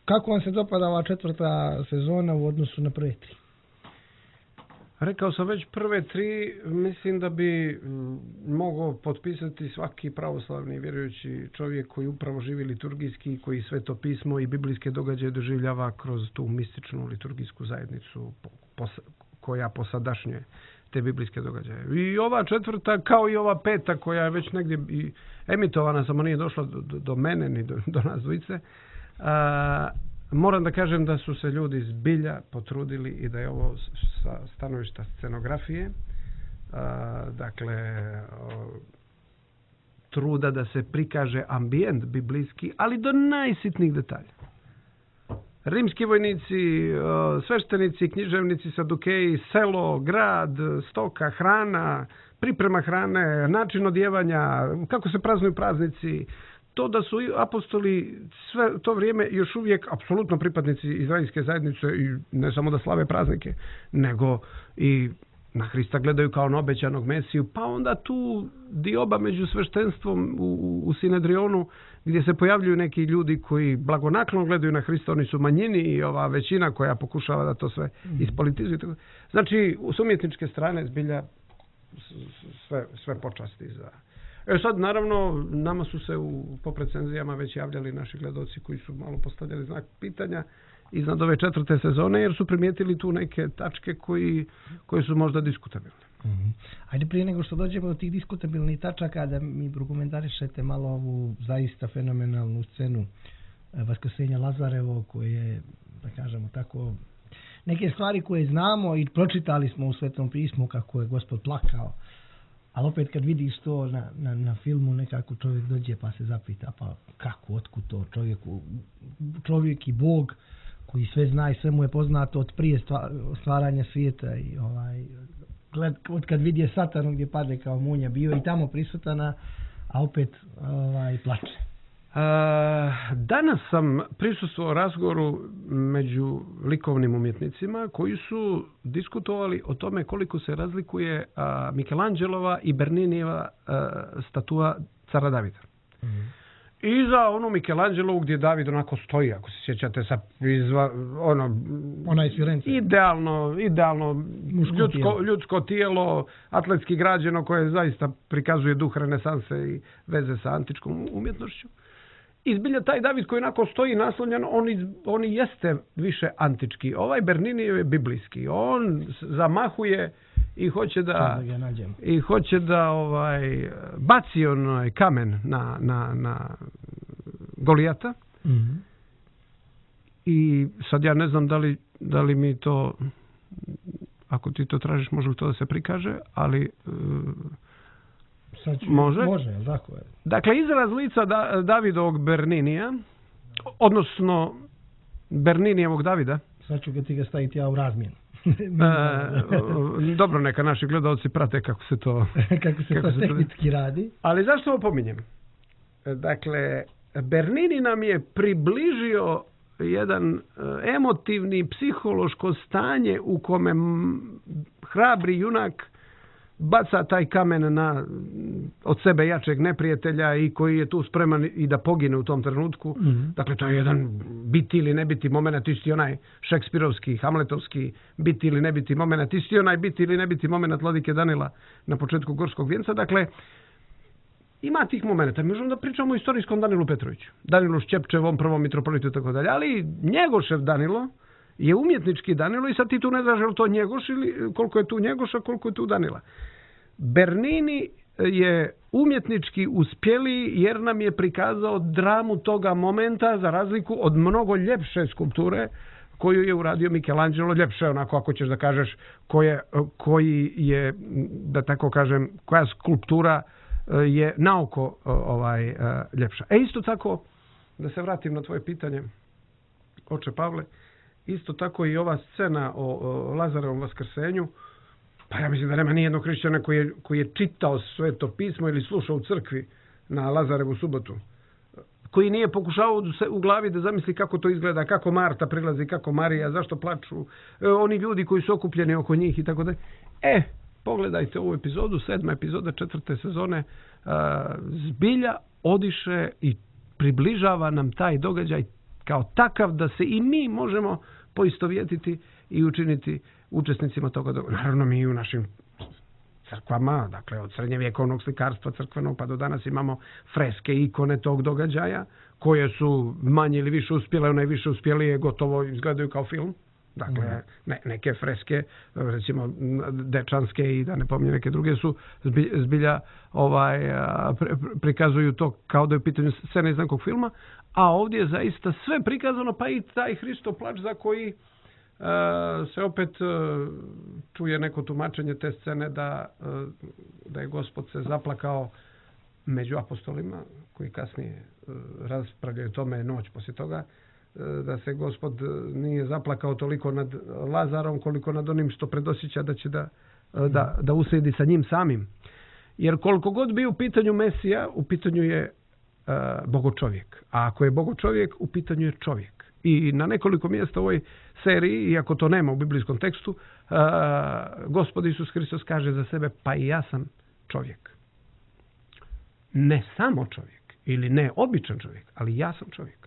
Kako vam se dopada ova 4. sezona u odnosu na prve 3? Rekao sam već prve 3, mislim da bi mogao potpisati svaki pravoslavni vjerujući čovjek koji upravo živi liturgijski, koji Sveto pismo i biblijske događaje doživljava kroz tu mističnu liturgijsku zajednicu koja posadašnje te biblijske događaje. I ova 4. kao i ova 5. koja je već negdje i emitovana, samo nije došla do mene ni do nas dvojice. Moram da kažem da su se ljudi zbilja potrudili i da je ovo sa stanovišta scenografije, dakle, truda da se prikaže ambijent biblijski, ali do najsitnijih detalja. Rimski vojnici, sveštenici, književnici, sadukeji, selo, grad, stoka, hrana, priprema hrane, način odjevanja, kako se praznuju praznici, to da su apostoli sve to vrijeme još uvijek apsolutno pripadnici izraelske zajednice i ne samo da slave praznike, nego i na Hrista gledaju kao na obećanog Mesiju, pa onda tu dioba među sveštenstvom u Sinedrionu gdje se pojavljuju neki ljudi koji blagonaklono gledaju na Hrista, oni su manjini i ova većina koja pokušava da to sve ispolitizuje. Znači, s umjetničke strane zbilja sve počasti za... Sad, naravno, nama su se u pop recenzijama već javljali naši gledaoci koji su malo postavljali znak pitanja iznad ove 4. sezone, jer su primijetili tu neke tačke koje su možda diskutabilne. Ajde, prije nego što dođemo do tih diskutabilnih tačaka, da mi prokomentarišete malo ovu zaista fenomenalnu scenu Vaskrsenja Lazarevog, koje, da kažemo tako, neke stvari koje znamo i pročitali smo u Svetom pismu kako je Gospod plakao. Ali opet kad vidiš to na filmu, nekako čovjek dođe pa se zapita, pa kako, otkud to čovjek i Bog koji sve zna i sve mu je poznato od prije stvaranja svijeta i od kad vidi je Satanu gdje pade kao munja, bio i tamo prisutana, a opet plače. Danas sam prisustvovao razgovoru među likovnim umjetnicima koji su diskutovali o tome koliko se razlikuje Michelangelova i Berninieva statua cara Davida. I za onu Michelangelovu gdje David onako stoji, ako se sjećate, sa idealno ljudsko tijelo, atletski građeno, koje zaista prikazuje duh renesanse i veze sa antičkom umjetnošću. I zbilja taj David koji onako stoji naslonjen, on jeste više antički. Ovaj Berninijev je biblijski. On zamahuje i hoće da baci onaj kamen na Golijata. I sad ja ne znam da li mi to, ako ti to tražiš, može li to da se prikaže, ali može, tako je. Dakle, izraz lica Davidovog Berninija, odnosno Berninijevog Davida. Sad ću ti ga staviti ja u razmjenu. Dobro, neka naši gledalci prate kako se to tehnički radi. Ali zašto ovo pominjem? Dakle, Bernini nam je približio jedan emotivni, psihološko stanje u kome hrabri junak baca taj kamen na od sebe jačeg neprijatelja i koji je tu spreman i da pogine u tom trenutku. Dakle, to je jedan biti ili ne biti moment, isti onaj šekspirovski, hamletovski biti ili ne biti moment, isti onaj biti ili ne biti moment Vladike Danila na početku Gorskog vijenca. Dakle, ima tih momenta. Mi možemo da pričamo o istorijskom Danilu Petroviću, Danilu Šćepčevom, prvom mitropolitu i tako dalje, ali Njegošev Danilo je umjetnički Danilo i sad ti tu ne znaš je li to Njegoš ili koliko je tu Njegoša, koliko je tu Danila. Bernini je umjetnički uspjeli jer nam je prikazao dramu toga momenta za razliku od mnogo ljepše skulpture koju je uradio Michelangelo, ljepše onako ako ćeš da kažeš koji je, da tako kažem, koja skulptura je naoko ljepša. Isto tako, da se vratim na tvoje pitanje, oče Pavle, isto tako i ova scena o Lazarevom vaskrsenju, pa ja mislim da nema nijednog hrišćana koji je čitao Sveto pismo ili slušao u crkvi na Lazarevu subotu, koji nije pokušao u glavi da zamisli kako to izgleda, kako Marta prilazi, kako Marija, zašto plaču, oni ljudi koji su okupljeni oko njih i tako da. Pogledajte ovu epizodu, 7. epizoda 4. sezone, zbilja odiše i približava nam taj događaj kao takav da se i mi možemo poistovjetiti i učiniti učesnicima toga događaja. Naravno mi u našim crkvama, dakle od srednjevjekovnog slikarstva crkvenog pa do danas imamo freske, ikone tog događaja koje su manje ili više uspjele, one više uspjelije gotovo izgledaju kao film. Dakle, neke freske, recimo dečanske i da ne pominjem neke druge su zbilja prikazuju to kao da je u pitanju scena iz nekog filma, a ovdje je zaista sve prikazano, pa i taj Hristov plač za koji se opet čuje neko tumačenje te scene da je Gospod se zaplakao među apostolima koji kasnije raspravljaju tome noć poslije toga, da se Gospod nije zaplakao toliko nad Lazarom koliko nad onim što predosjeća da će da uslijedi sa njim samim. Jer koliko god bio u pitanju Mesija, u pitanju je bogočovjek. A ako je bogočovjek, u pitanju je čovjek. I na nekoliko mjesta u ovoj seriji, iako to nema u biblijskom tekstu, Gospod Isus Hristos kaže za sebe, pa i ja sam čovjek. Ne samo čovjek ili ne običan čovjek, ali ja sam čovjek.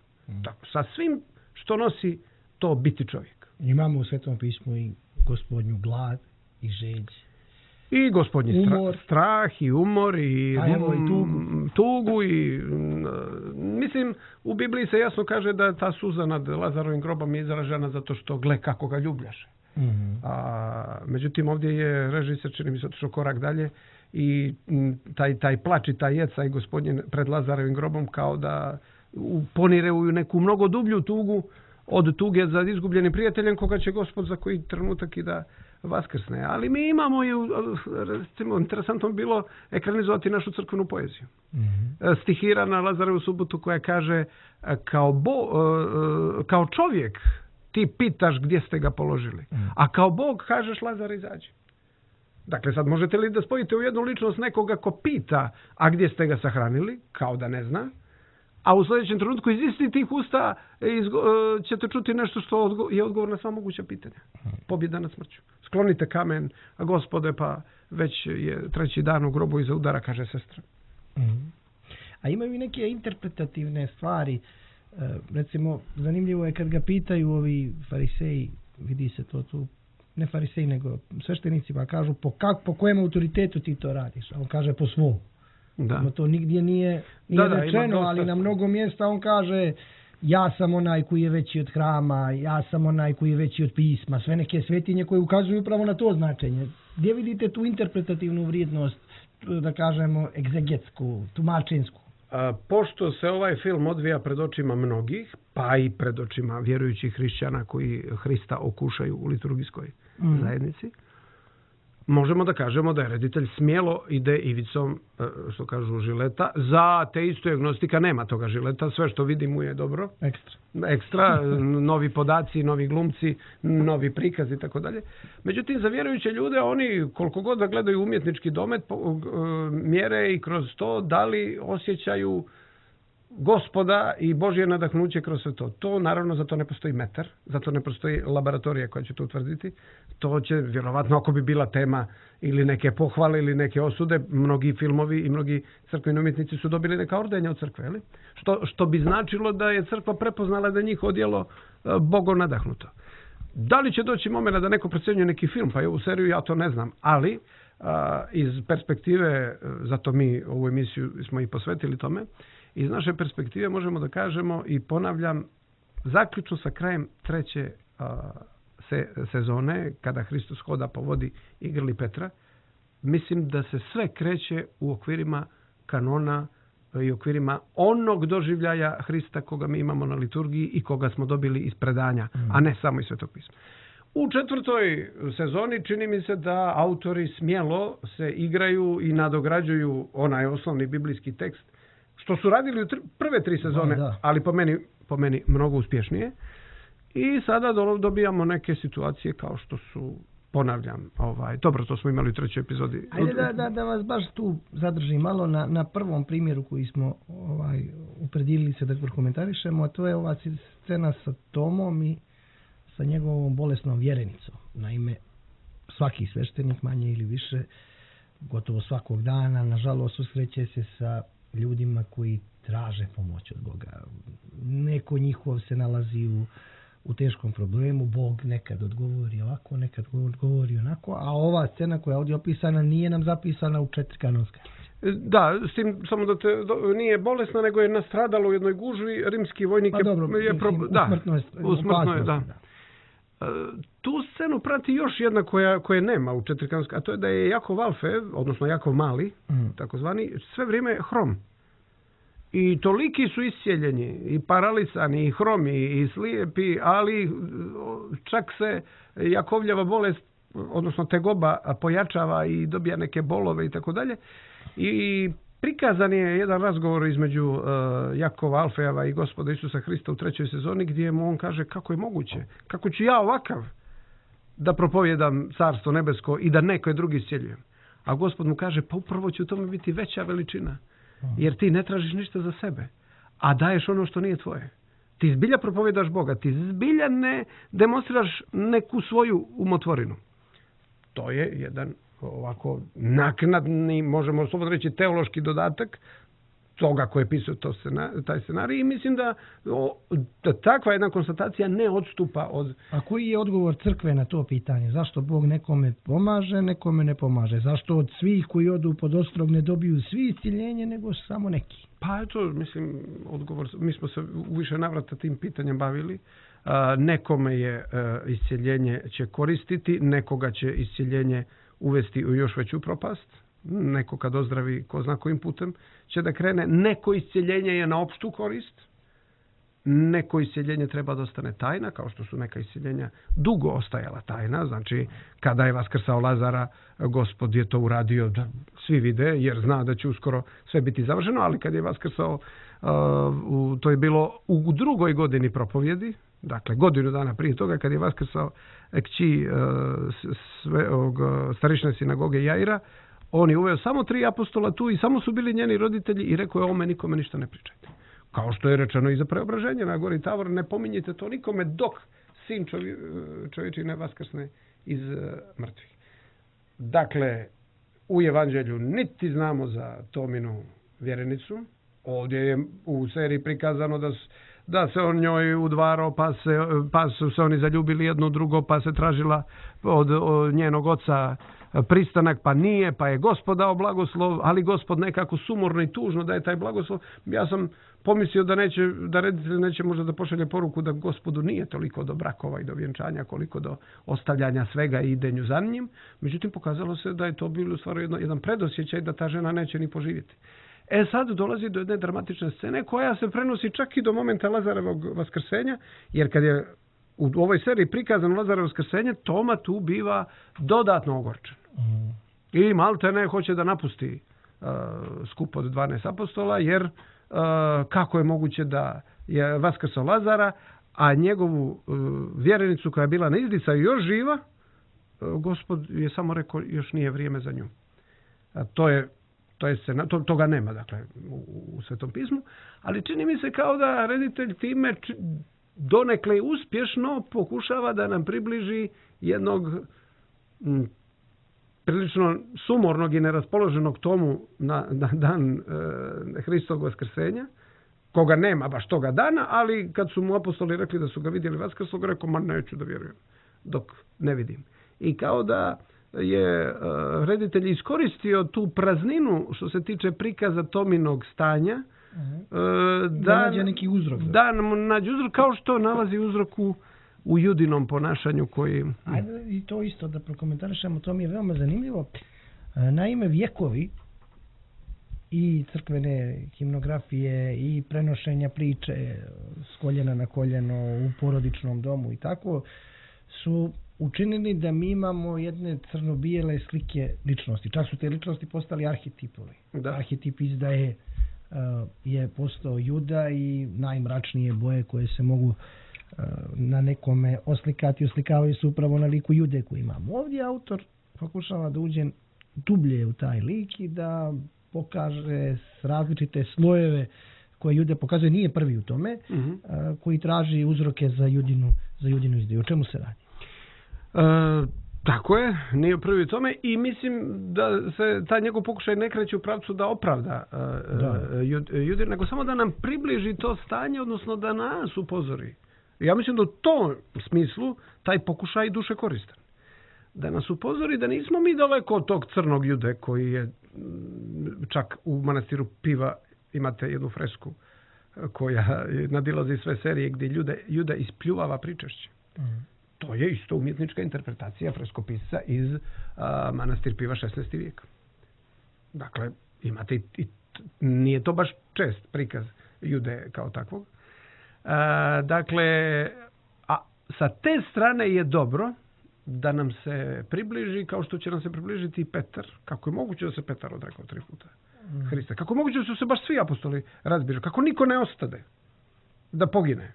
Tako, sa svim što nosi to biti čovjek. Imamo u Svetom pismu i Gospodnju glad i žeđ. I Gospodnji strah i umor i tugu i mislim u Bibliji se jasno kaže da ta suza nad Lazarovim grobom je izražena zato što gle kako ga ljubljaše. Međutim ovdje je režiser čini mi se otišao korak dalje i taj plač i taj jecaj Gospodnje pred Lazarovim grobom kao da ponire u neku mnogo dublju tugu od tuge za izgubljenim prijateljem koga će Gospod za koji trenutak i da vaskrsne. Ali mi imamo i, recimo, interesantno bi bilo ekranizovati našu crkvenu poeziju. Stihira na Lazarevu subotu koja kaže kao čovjek ti pitaš gdje ste ga položili. A kao Bog kažeš Lazare izađi. Dakle, sad možete li da spojite u jednu ličnost nekoga ko pita a gdje ste ga sahranili, kao da ne zna, a u sljedećem trenutku iz istih tih usta ćete čuti nešto što je odgovor na sva moguća pitanja. Pobjeda nad smrću. Sklonite kamen, a Gospode, pa već je 3. dan u grobu iza udara, kaže sestra. A imaju i neke interpretativne stvari. Recimo, zanimljivo je kad ga pitaju ovi fariseji, vidi se to tu, ne fariseji nego sveštenici, pa kažu po kojem autoritetu ti to radiš? A on kaže po svom. Da. To nigdje nije rečeno, ali na mnogo mjesta on kaže ja sam onaj koji je veći od hrama, ja sam onaj koji je veći od pisma, sve neke svetinje koje ukazuju upravo na to značenje. Gdje vidite tu interpretativnu vrijednost, da kažemo, egzegetsku, tumačinsku? Pošto se ovaj film odvija pred očima mnogih, pa i pred očima vjerujućih hrišćana koji Hrista okušaju u liturgijskoj zajednici, možemo da kažemo da je reditelj smjelo ide ivicom, što kažu, žileta. Za ateistu i agnostika nema toga žileta. Sve što vidi mu je dobro. Ekstra, novi podaci, novi glumci, novi prikaz i tako dalje. Međutim, za vjerujuće ljude, oni koliko god da gledaju umjetnički domet, mjere i kroz to da li osjećaju Gospoda i Božje nadahnuće kroz sve to. To naravno za to ne postoji metar, za to ne postoji laboratorija koja će to utvrditi. To će vjerovatno, ako bi bila tema ili neke pohvale ili neke osude, mnogi filmovi i mnogi crkveni umjetnici su dobili neka ordenja od crkve, ali? Što bi značilo da je crkva prepoznala da je njihovo djelo Bogom nadahnuto. Da li će doći momena da neko procjenjuje neki film, pa i ovu seriju, ja to ne znam, ali iz perspektive, zato mi ovu emisiju smo i posvetili tome, iz naše perspektive možemo da kažemo i ponavljam, zaključno sa krajem 3. sezone, kada Hristos hoda po vodi i grli Petra, mislim da se sve kreće u okvirima kanona i okvirima onog doživljaja Hrista koga mi imamo na liturgiji i koga smo dobili iz predanja, a ne samo iz Svetog pisma. U 4. sezoni čini mi se da autori smjelo se igraju i nadograđuju onaj osnovni biblijski tekst, što su radili u prve 3 sezone, ali po meni mnogo uspješnije. I sada dobijamo neke situacije kao što su, ponavljam, dobro, to smo imali u 3. epizodi. Ajde da vas baš tu zadržim malo na prvom primjeru koji smo upredilili se da prokomentarišemo, a to je ova scena sa Tomom i sa njegovom bolesnom vjerenicom. Naime, svaki sveštenik, manje ili više, gotovo svakog dana, nažalost, susreće se sa ljudima koji traže pomoć od Boga. Neko njihov se nalazi u teškom problemu, Bog nekad odgovori ovako, nekad odgovori onako, a ova scena koja je ovdje opisana nije nam zapisana u 4 kanonska. Da, s tim samo da nije bolesna, nego je nastradala u jednoj gužvi, rimski vojnik usmrtno je. Tu scenu prati još jedna koje nema u 4 kanonska, a to je da je Jakov Alfe, odnosno Jakov Mali, takozvani, sve vrijeme hrom. I toliki su iscijeljeni, i paralisani, i hromi, i slijepi, ali čak se Jakovljeva bolest, odnosno tegoba, pojačava i dobija neke bolove i tako dalje. I prikazan je jedan razgovor između Jakova Alfejeva i Gospoda Isusa Hrista u 3. sezoni, gdje mu on kaže kako je moguće, kako ću ja ovakav da propovjedam Carstvo nebesko i da neko drugi iscjeljujem. A Gospod mu kaže, pa upravo će u tome biti veća veličina. Jer ti ne tražiš ništa za sebe, a daješ ono što nije tvoje. Ti zbilja propovjedaš Boga, ti zbilja ne demonstriraš neku svoju umotvorinu. To je jedan ovako naknadni, možemo slobodno reći, teološki dodatak toga koji je pisao taj scenarij i mislim da takva jedna konstatacija ne odstupa od... A koji je odgovor crkve na to pitanje? Zašto Bog nekome pomaže, nekome ne pomaže? Zašto od svih koji odu pod ostrog ne dobiju svi isciljenje, nego samo neki? Pa eto, mislim, odgovor, mi smo se u više navrata tim pitanjem bavili. Nekome je isciljenje će koristiti, nekoga će isciljenje uvesti u još veću propast. Neko kad ozdravi ko zna kojim putem će da krene. Neko iscjeljenje je na opštu korist. Neko iscjeljenje treba da ostane tajna, kao što su neka iscjeljenja dugo ostajala tajna. Znači, kada je vaskrsao Lazara, Gospod je to uradio da svi vide, jer zna da će uskoro sve biti završeno, ali kad je vaskrsao, to je bilo u 2. godini propovjedi, dakle godinu dana prije toga, kad je vaskrsao kći starišne sinagoge Jaira, on je uveo samo 3 apostola tu i samo su bili njeni roditelji i rekao je ovome nikome ništa ne pričajte. Kao što je rečeno i za preobraženje na gori Tavor, ne pominjite to nikome dok sin čovječi ne vaskrsne iz mrtvih. Dakle, u evanđelju niti znamo za Tominu vjerenicu. Ovdje je u seriji prikazano da se on njoj udvarao, pa su se oni zaljubili jedno drugo, pa se tražila od njenog oca pristanak, pa nije, pa je Gospod dao blagoslov, ali Gospod nekako sumorno i tužno daje taj blagoslov. Ja sam pomislio da reditelj neće možda da pošalje poruku da Gospodu nije toliko do brakova i do vjenčanja koliko do ostavljanja svega i idenju za njim. Međutim, pokazalo se da je to bilo stvarno jedan predosjećaj da ta žena neće ni poživjeti. Sad dolazi do jedne dramatične scene koja se prenosi čak i do momenta Lazarevog vaskrsenja, jer kad je u ovoj seriji prikazano Lazarevo vaskrsenje, Toma tu biva dodatno ogorčen. I malte ne hoće da napusti skup od 12 apostola, jer kako je moguće da je vaskrsao Lazara, a njegovu vjerenicu koja je bila na izdisaju još živa, Gospod je samo rekao još nije vrijeme za nju. Toga nema, dakle, u Svetom pismu, ali čini mi se kao da reditelj time donekle uspješno pokušava da nam približi jednog prilično sumornog i neraspoloženog Tomu na dan Hristovog vaskrsenja, koga nema baš toga dana, ali kad su mu apostoli rekli da su ga vidjeli vaskrslog, rekao, ma neću da vjerujem dok ne vidim. I kao da je reditelj iskoristio tu prazninu što se tiče prikaza Tominog stanja, da nađe neki uzrok. Da nađe uzrok, kao što nalazi uzrok u Judinom ponašanju koji... Ajde i to isto da prokomentarišemo, to mi je veoma zanimljivo. Naime, vjekovi i crkvene himnografije i prenošenja priče s koljena na koljeno u porodičnom domu i tako, su učinili da mi imamo jedne crno-bijele slike ličnosti. Čak su te ličnosti postali arhetipovi. Arhetip izdaje je postao Juda i najmračnije boje koje se mogu na nekome oslikavaju se upravo na liku Jude koji imamo. Ovdje autor pokušava da uđe dublje u taj lik i da pokaže različite slojeve koje Jude pokazuje, nije prvi u tome, koji traži uzroke za Judinu izdaju. O čemu se radi? Tako je, nije prvi u tome i mislim da se taj njegov pokušaj ne kreće u pravcu da opravda Judin, nego samo da nam približi to stanje, odnosno da nas upozori. Ja mislim da u tom smislu taj pokušaj duše koristan. Da nas upozori da nismo mi daleko od tog crnog Jude koji je, čak u manastiru Piva imate jednu fresku koja nadilazi sve serije gdje Juda ispljuvava pričešće. To je isto umjetnička interpretacija freskopisca iz manastir Piva 16. vijeka. Dakle, imate nije to baš čest prikaz Jude kao takvog. Dakle, a sa te strane je dobro da nam se približi kao što će nam se približiti i Petar. Kako je moguće da se Petar odrekao 3 puta Hrista? Kako je moguće da su se baš svi apostoli razbježali? Kako niko ne ostade da pogine?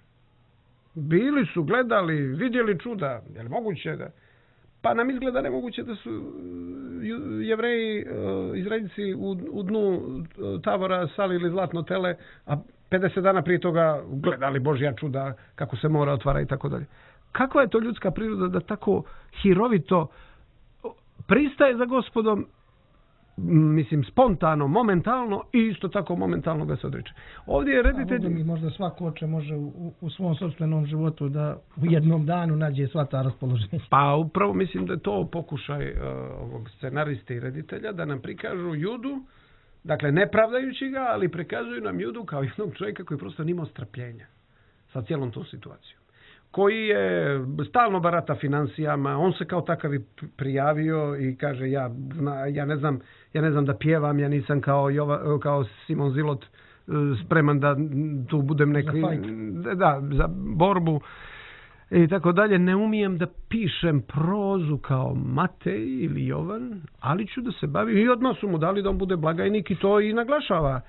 Bili su, gledali, vidjeli čuda. Je li moguće da... Pa nam izgleda nemoguće da su Jevreji, Izraelci u dnu Tabora salili zlatno tele, a 50 dana prije toga gledali Božja čuda, kako se mora otvara i tako dalje. Kakva je to ljudska priroda da tako hirovito pristaje za Gospodom, mislim, spontano, momentalno i isto tako momentalno ga se odriče. Ovdje je reditelj... Možda svako oče može u svom sopstvenom životu da u jednom danu nađe sva ta raspoloženja. Pa upravo mislim da je to pokušaj ovog scenarista i reditelja da nam prikažu Judu, dakle ne pravdajući ga, ali prikazuju nam Judu kao jednog čovjeka koji prosto nimao strpljenja sa cijelom tom situacijom. Koji je stalno barata financijama, on se kao takav prijavio i kaže ja ne znam da pjevam, ja nisam kao Simon Zilot spreman da tu budem neki za borbu i tako dalje, ne umijem da pišem prozu kao Matej ili Jovan, ali ću da se bavim i odmah su mu dali da on bude blagajnik i to i naglašava,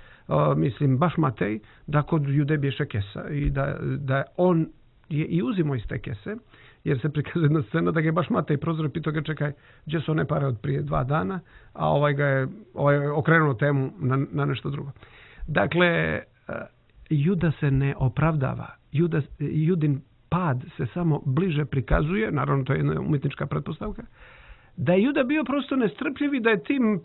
mislim baš Matej, da kod Jude bješe kesa i da on je i uzimo iz te kese, jer se prikazuje jedna scena da ga je baš Matej prozor i pitao ga čekaj, gdje su one pare od prije 2 dana, a ovaj je okrenuo temu na nešto drugo. Dakle, Juda se ne opravdava. Judin pad se samo bliže prikazuje, naravno to je jedna umjetnička pretpostavka, da je Juda bio prosto nestrpljiv i da je tim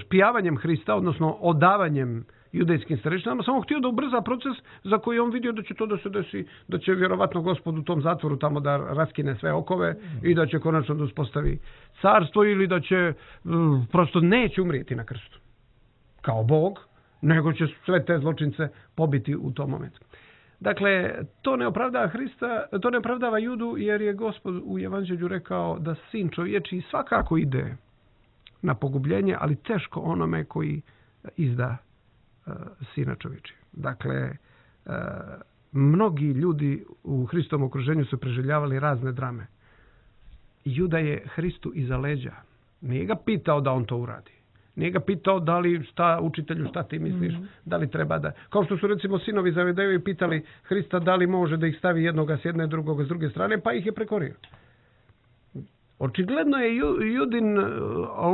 špijavanjem Hrista, odnosno odavanjem judejskim starešinama, samo htio da ubrza proces za koji on vidio da će to da se desi, da će vjerovatno Gospod u tom zatvoru tamo da raskine sve okove i da će konačno da uspostavi carstvo ili da će prosto neće umrijeti na krstu kao Bog, nego će sve te zločince pobiti u tom momentu. Dakle, to ne opravdava Hrista, to ne opravdava Judu jer je Gospod u Evanđelju rekao da sin čovječiji svakako ide na pogubljenje, ali teško onome koji izda sina čovječija. Dakle, mnogi ljudi u Hristovom okruženju su preživljavali razne drame. Juda je Hristu iza leđa. Nije ga pitao da on to uradi. Nije ga pitao da li učitelju šta ti misliš, da li treba da... Kao što su recimo sinovi Zavedejevi pitali Hrista da li može da ih stavi jednoga s jedne, drugoga s druge strane, pa ih je prekorio. Očigledno je Judin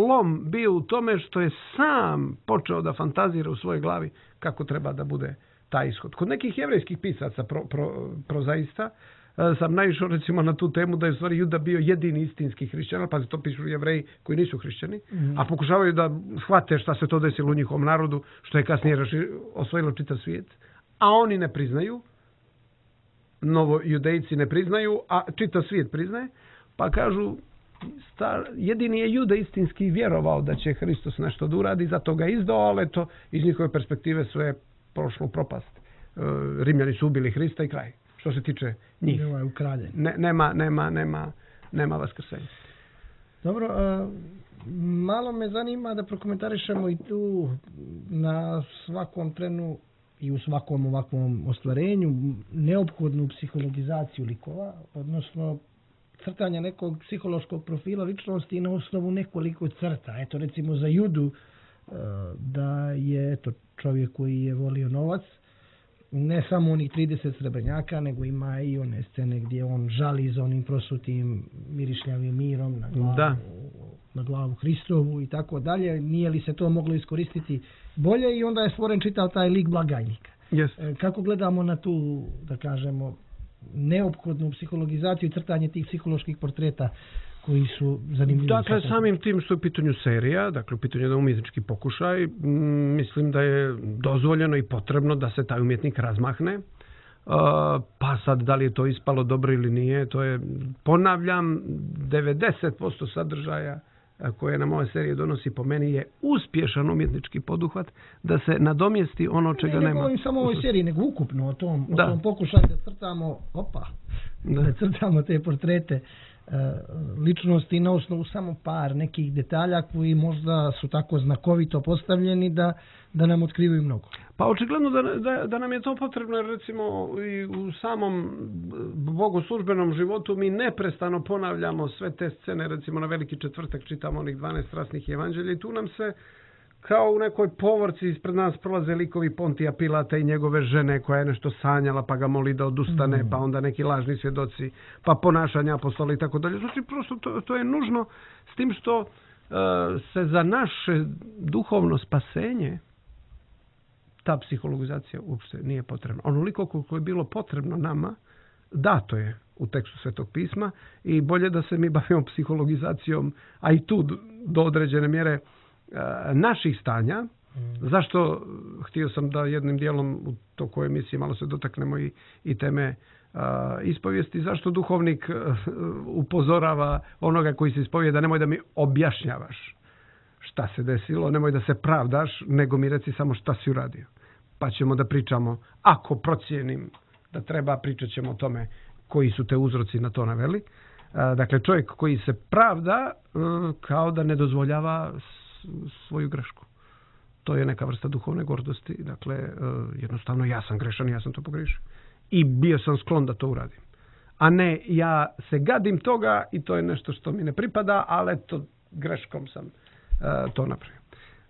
lom bio u tome što je sam počeo da fantazira u svojoj glavi kako treba da bude taj ishod. Kod nekih jevrejskih pisaca prozaista sam naišao recimo na tu temu da je u stvari Juda bio jedini istinski hrišćan, pa to pišu Jevreji koji nisu hrišćani, a pokušavaju da shvate šta se to desilo u njihovom narodu, što je kasnije osvojilo čitav svijet, a oni ne priznaju, novojudejci ne priznaju, a čitav svijet priznaje, pa kažu jedini je Juda istinski vjerovao da će Hristos nešto da uradi, zato ga izdao, ali to iz njihove perspektive sve je prošlo u propast. Rimljani su ubili Hrista i kraj. Što se tiče njih. Nema vaskrsenja. Dobro, malo me zanima da prokomentarišemo i tu na svakom trenu i u svakom ovakvom ostvarenju neophodnu psihologizaciju likova, odnosno crtanja nekog psihološkog profila ličnosti na osnovu nekoliko crta. Eto, recimo za Judu, da je čovjek koji je volio novac, ne samo onih 30 srebrnjaka, nego ima i one scene gdje on žali za onim prosutim mirišljavim mirom na glavu Hristovu i tako dalje. Nije li se to moglo iskoristiti bolje i onda je stvoren čitav taj lik blagajnika. Yes. Kako gledamo na tu, da kažemo, neophodnu psihologizaciju i crtanje tih psiholoških portreta koji su zanimljivi? Dakle, samim tim što je u pitanju serija, dakle u pitanju jedan umjetnički pokušaj, mislim da je dozvoljeno i potrebno da se taj umjetnik razmahne. Pa sad, da li je to ispalo dobro ili nije, to je, ponavljam, 90% sadržaja koje nam ove serije donosi po meni je uspješan umjetnički poduhvat da se nadomjesti ono čega nema. Ne govorim samo o ovoj seriji, nego ukupno o tom pokušaju da crtamo, da crtamo te portrete ličnosti na osnovu samo par nekih detalja koji možda su tako znakovito postavljeni da nam otkrivaju mnogo. Pa očigledno da nam je to potrebno, jer recimo i u samom bogoslužbenom životu mi neprestano ponavljamo sve te scene, recimo na Veliki četvrtak čitamo onih 12 strasnih evanđelja i tu nam se kao u nekoj povorci ispred nas prolaze likovi Pontija Pilata i njegove žene koja je nešto sanjala pa ga moli da odustane, pa onda neki lažni svjedoci, pa ponašanja apostola i tako dalje. Znači prosto to je nužno, s tim što se za naše duhovno spasenje ta psihologizacija uopšte nije potrebna. Onoliko koliko je bilo potrebno nama, dato je u tekstu Svetog pisma i bolje da se mi bavimo psihologizacijom, a i tu do određene mjere naših stanja. Zašto htio sam da jednim dijelom u toku emisije malo se dotaknemo i teme ispovijesti, zašto duhovnik upozorava onoga koji se ispovijeda, nemoj da mi objašnjavaš šta se desilo, nemoj da se pravdaš, nego mi reci samo šta si uradio. Pa ćemo da pričamo, ako procijenim da treba, pričat ćemo o tome koji su te uzroci na to naveli. Dakle, čovjek koji se pravda kao da ne dozvoljava svoju grešku. To je neka vrsta duhovne gordosti. Dakle, jednostavno ja sam grešan, ja sam to pogriješio. I bio sam sklon da to uradim. A ne, ja se gadim toga i to je nešto što mi ne pripada, ali eto, greškom sam to napravio.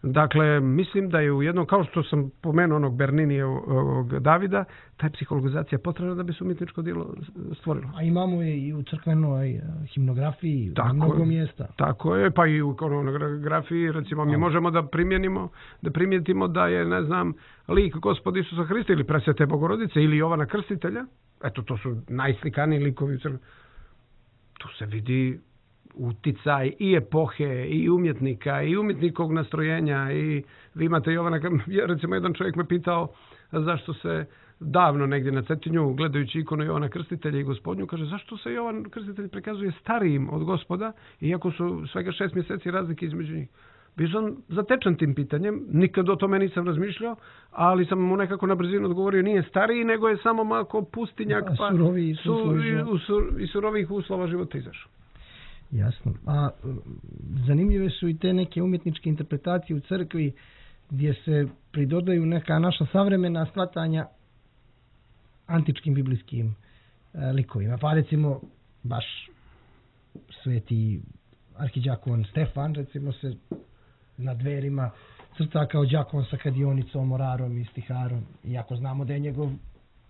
Dakle, mislim da je u jednom, kao što sam pomenuo onog Berninievog Davida, ta psihologizacija potrebna da bi se umjetničko djelo stvorilo. A imamo je i u crkvenoj himnografiji na mnogo mjesta. Tako je, pa i u ikonografiji, recimo, mi možemo da primijetimo da je, ne znam, lik Gospoda Isusa Hrista ili Presvete Bogorodice ili Jovana Krstitelja. Eto, to su najslikaniji likovi u crkvi. Tu se vidi uticaj i epohe, i umjetnika, i umjetnikovog nastrojenja. I vi imate Jovana, recimo jedan čovjek me pitao zašto se davno negdje na Cetinju, gledajući ikonu Jovana Krstitelja i Gospodnju, kaže zašto se Jovan Krstitelj prikazuje starijim od Gospoda, iako su svega 6 mjeseci razlike između njih. Bio sam zatečen tim pitanjem, nikad o tome nisam razmišljao, ali sam mu nekako na brzinu odgovorio, nije stariji, nego je samo malo pustinjak, pa iz surovih uslova života izašao. Jasno. A zanimljive su i te neke umjetničke interpretacije u crkvi gdje se pridodaju neka naša savremena shvatanja antičkim biblijskim likovima. Pa recimo baš sveti arhidjakon Stefan recimo se na dverima crta kao đakon sa kadionicom, orarom i stiharom. Iako znamo da je njegov,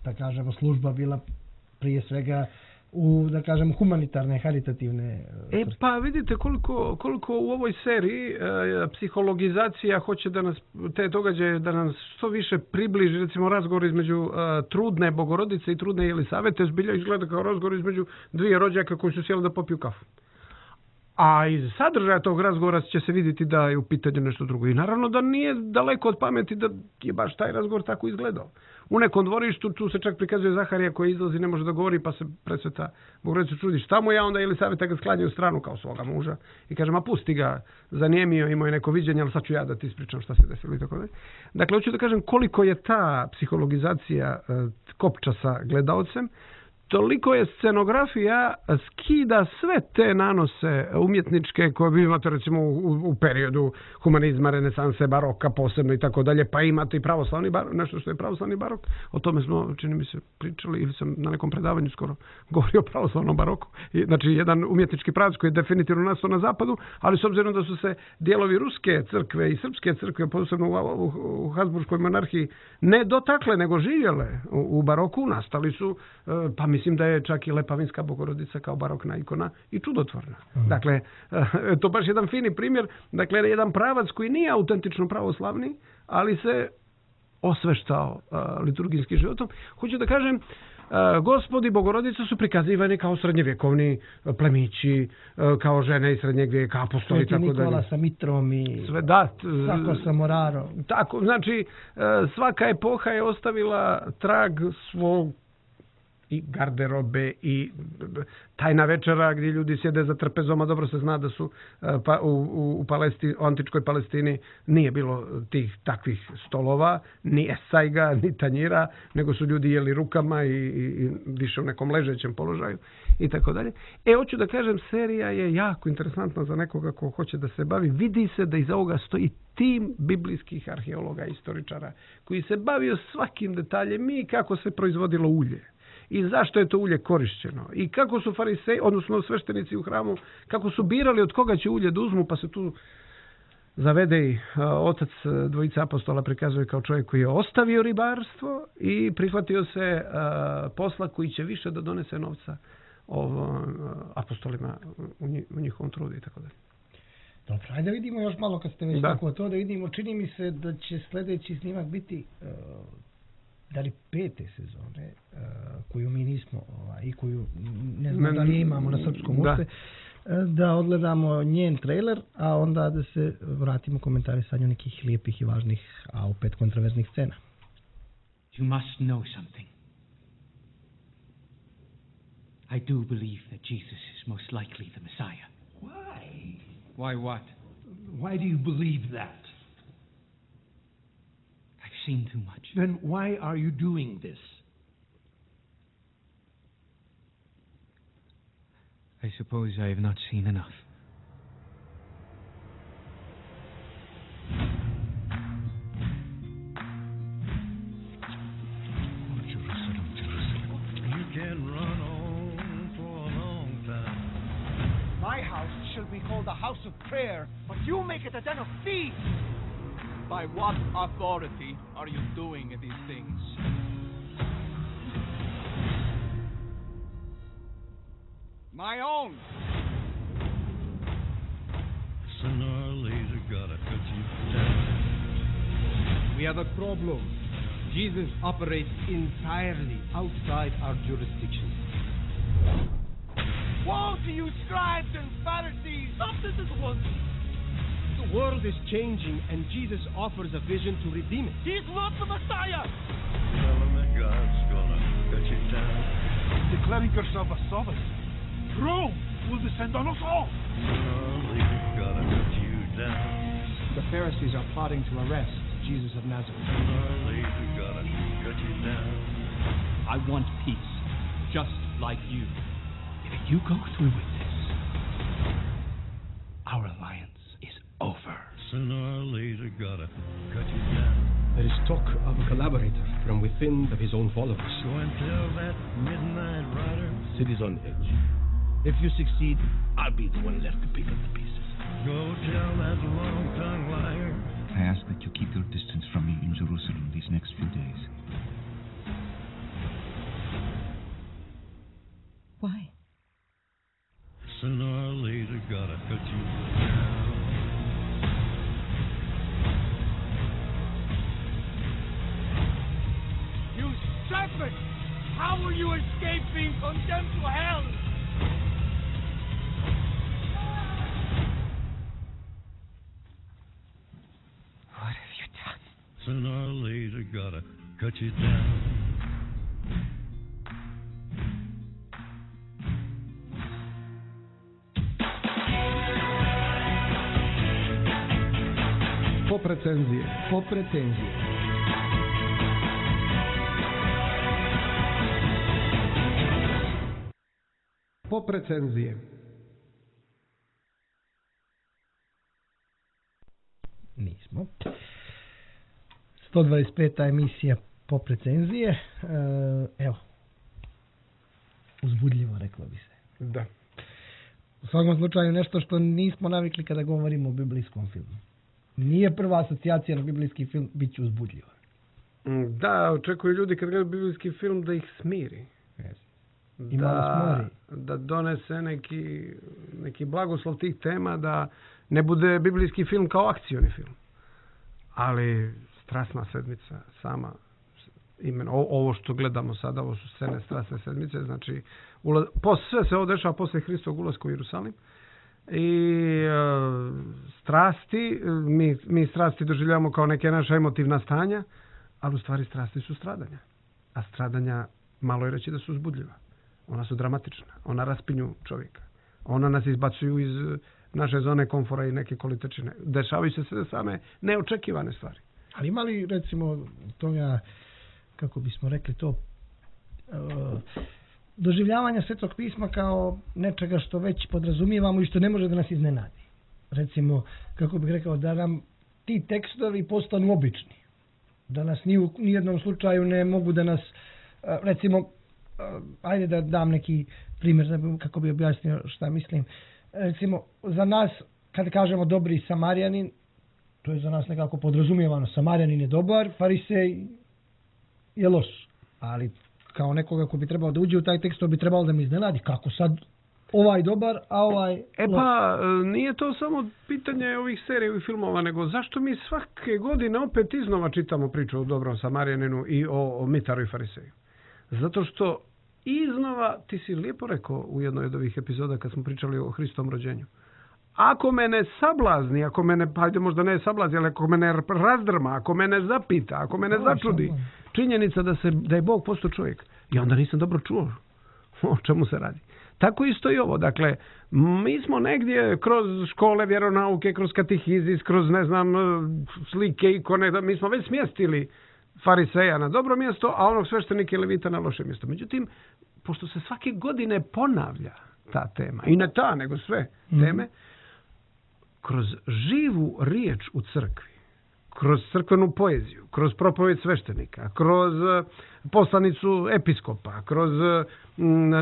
da kažemo, služba bila prije svega u, da kažem, humanitarne, haritativne. Pa vidite koliko u ovoj seriji psihologizacija hoće da nas, te događaje da nas što više približi, recimo razgovor između trudne Bogorodice i trudne Jelisavete zbilja izgleda kao razgovor između dvije rođaka koji su sjeli da popiju kafu. A iz sadržaja tog razgovora će se vidjeti da je u pitanju nešto drugo. I naravno da nije daleko od pameti da je baš taj razgovor tako izgledao. U nekom dvorištu tu se čak prikazuje Zaharija koji izlazi, ne može da govori, pa se Presveta Bogorodica čudi šta mu je, onda Jelisaveta ga sklanja u stranu kao svoga muža i kaže, ma pusti ga, zanijemio, imao je neko viđenje, ali sad ću ja da ti ispričam šta se desilo i tako dalje. Dakle, hoću da kažem koliko je ta psihologizacija kopča sa gledaocem. toliko je scenografija skida sve te nanose umjetničke koje vi imate recimo u periodu humanizma, renesanse, baroka posebno i tako dalje, pa imate i pravoslavni barok, nešto što je pravoslavni barok, o tome smo, čini mi se, pričali ili sam na nekom predavanju skoro govorio o pravoslavnom baroku. Znači, jedan umjetnički pravac koji je definitivno nastao na zapadu, ali s obzirom da su se dijelovi ruske crkve i srpske crkve, posebno u Habsburškoj monarhiji, ne dotakle, nego živjele u baroku, nastali su, pa mislim da je čak i Lepavinska Bogorodica kao barokna ikona i čudotvorna. Dakle, to baš jedan fini primjer, dakle, jedan pravac koji nije autentično pravoslavni, ali se osveštao liturgijskim životom. Hoću da kažem, Gospodi Bogorodice su prikazivani kao srednjevjekovni plemići, kao žene iz srednjeg vijeka, apostoli, tako dalje. Nikola sa mitrom i sve, da, Sako sa morarom. Tako, znači, svaka epoha je ostavila trag svog i garderobe i tajna večera gdje ljudi sjede za trpezom, a dobro se zna da su u antičkoj Palestini nije bilo tih takvih stolova, ni esajga, ni tanjira, nego su ljudi jeli rukama i više u nekom ležećem položaju i tako dalje. Hoću da kažem, serija je jako interesantna za nekoga ko hoće da se bavi. Vidi se da iza ovoga stoji tim biblijskih arheologa i istoričara koji se bavio svakim detaljem i kako se proizvodilo ulje. I zašto je to ulje korišćeno. I kako su fariseji, odnosno sveštenici u hramu, kako su birali od koga će ulje da uzmu, pa se tu zavede i otac dvojica apostola prikazuje kao čovjek koji je ostavio ribarstvo i prihvatio se posla koji će više da donese novca apostolima u njihovom trudu i tako dalje. Dobro, ajde vidimo još malo kad ste već tako to da vidimo. Čini mi se da će sljedeći snimak biti da li 5. sezone koju mi nismo i koju ne znam da li imamo na srpskom uopšte, da odgledamo njen trailer, a onda da se vratimo komentarisanju nekih lijepih i važnih, a opet kontroverznih scena. You must know something. I do believe that Jesus is most likely the Messiah. Why? Why what? Why do you believe that? I've seen too much. Then why are you doing this? I suppose I have not seen enough. Oh, Jerusalem, Jerusalem. You can run on for a long time. My house shall be called a house of prayer, but you make it a den of thieves. By what authority are you doing these things? My own. Sooner or later, gotta cut you down. We have a problem. Jesus operates entirely outside our jurisdiction. Woe to you, scribes and Pharisees! Stop this at once! The world is changing, and Jesus offers a vision to redeem it. He's not the Messiah! Tell him that God's gonna cut you down. Declaring yourself a sovereign. Rome will descend on us all! Sooner or later, gotta cut you down. The Pharisees are plotting to arrest Jesus of Nazareth. Sooner or later, gotta cut you down. I want peace, just like you. If you go through with this, our alliance is over. Sooner or later, gotta cut you down. There is talk of a collaborator from within of his own followers. Go and tell that midnight rider. City's on edge. If you succeed, I'll be the one left to pick up the pieces. Go tell that long-tongued liar. I ask that you keep your distance from me in Jerusalem these next few days. Why? Sooner or later, gotta cut you down. You serpent! How will you escape being condemned to hell? What have you done? Sooner or later, gotta cut you down. Pop recenzije. Pop recenzije. Nismo. 125. emisija Pop recenzije. Evo. Uzbudljivo, reklo bi se. Da. U svakom slučaju nešto što nismo navikli kada govorimo o biblijskom filmu. Nije prva asocijacija na biblijski film, bit će uzbudljivo. Da, očekuju ljudi kad gledaju biblijski film da ih smiri. I malo smori. Da donese neki blagoslov tih tema, da ne bude biblijski film kao akcioni film. Ali Strasna sedmica sama, imeno, ovo što gledamo sada, ovo su scene Strasne sedmice, znači sve se ovo dešava posle Hristovog ulaska u Jerusalim. I strasti, mi strasti doživljavamo kao neke naša emotivna stanja, ali u stvari strasti su stradanja. A stradanja, malo je reći da su uzbudljiva. Ona su dramatična, ona raspinju čovjeka. Ona nas izbacuju iz naše zone komfora i neke kolitečine. Dešavaju se sve same neočekivane stvari. Ali ima li, recimo, toga, kako bismo rekli to, doživljavanja Svetog pisma kao nečega što već podrazumijevamo i što ne može da nas iznenadi. Recimo, kako bih rekao, da nam ti tekstovi postanu obični. Da nas ni u nijednom slučaju ne mogu da nas, recimo, ajde da dam neki primjer kako bi objasnio šta mislim. Recimo, za nas, kad kažemo dobri Samarijanin, to je za nas nekako podrazumijevano. Samarijanin je dobar, Farisej je loš. Ali kao nekoga ko bi trebao da uđe u taj tekst, to bi trebalo da mi iznenadi. Kako sad ovaj dobar, a ovaj loš? Pa, nije to samo pitanje ovih serija i filmova, nego zašto mi svake godine opet iznova čitamo priču o dobrom Samarijaninu i o Mitaru i Fariseju? Zato što iznova, ti si lijepo rekao u jednoj od ovih epizoda kad smo pričali o Hristovom rođenju. Ako mene sablazni, ako mene, pa ajde možda ne sablazni, ali ako mene razdrma, ako mene zapita, ako mene začudi, činjenica da je Bog postao čovjek. I onda nisam dobro čuo o čemu se radi. Tako isto i ovo. Dakle, mi smo negdje kroz škole vjeronauke, kroz katehizis, kroz ne znam slike, ikone, mi smo već smjestili Fariseja na dobro mjesto, a onog sveštenika i levita na loše mjesto. Međutim, pošto se svake godine ponavlja ta tema, i ne ta, nego sve teme, kroz živu riječ u crkvi, kroz crkvenu poeziju, kroz propovjed sveštenika, kroz poslanicu episkopa, kroz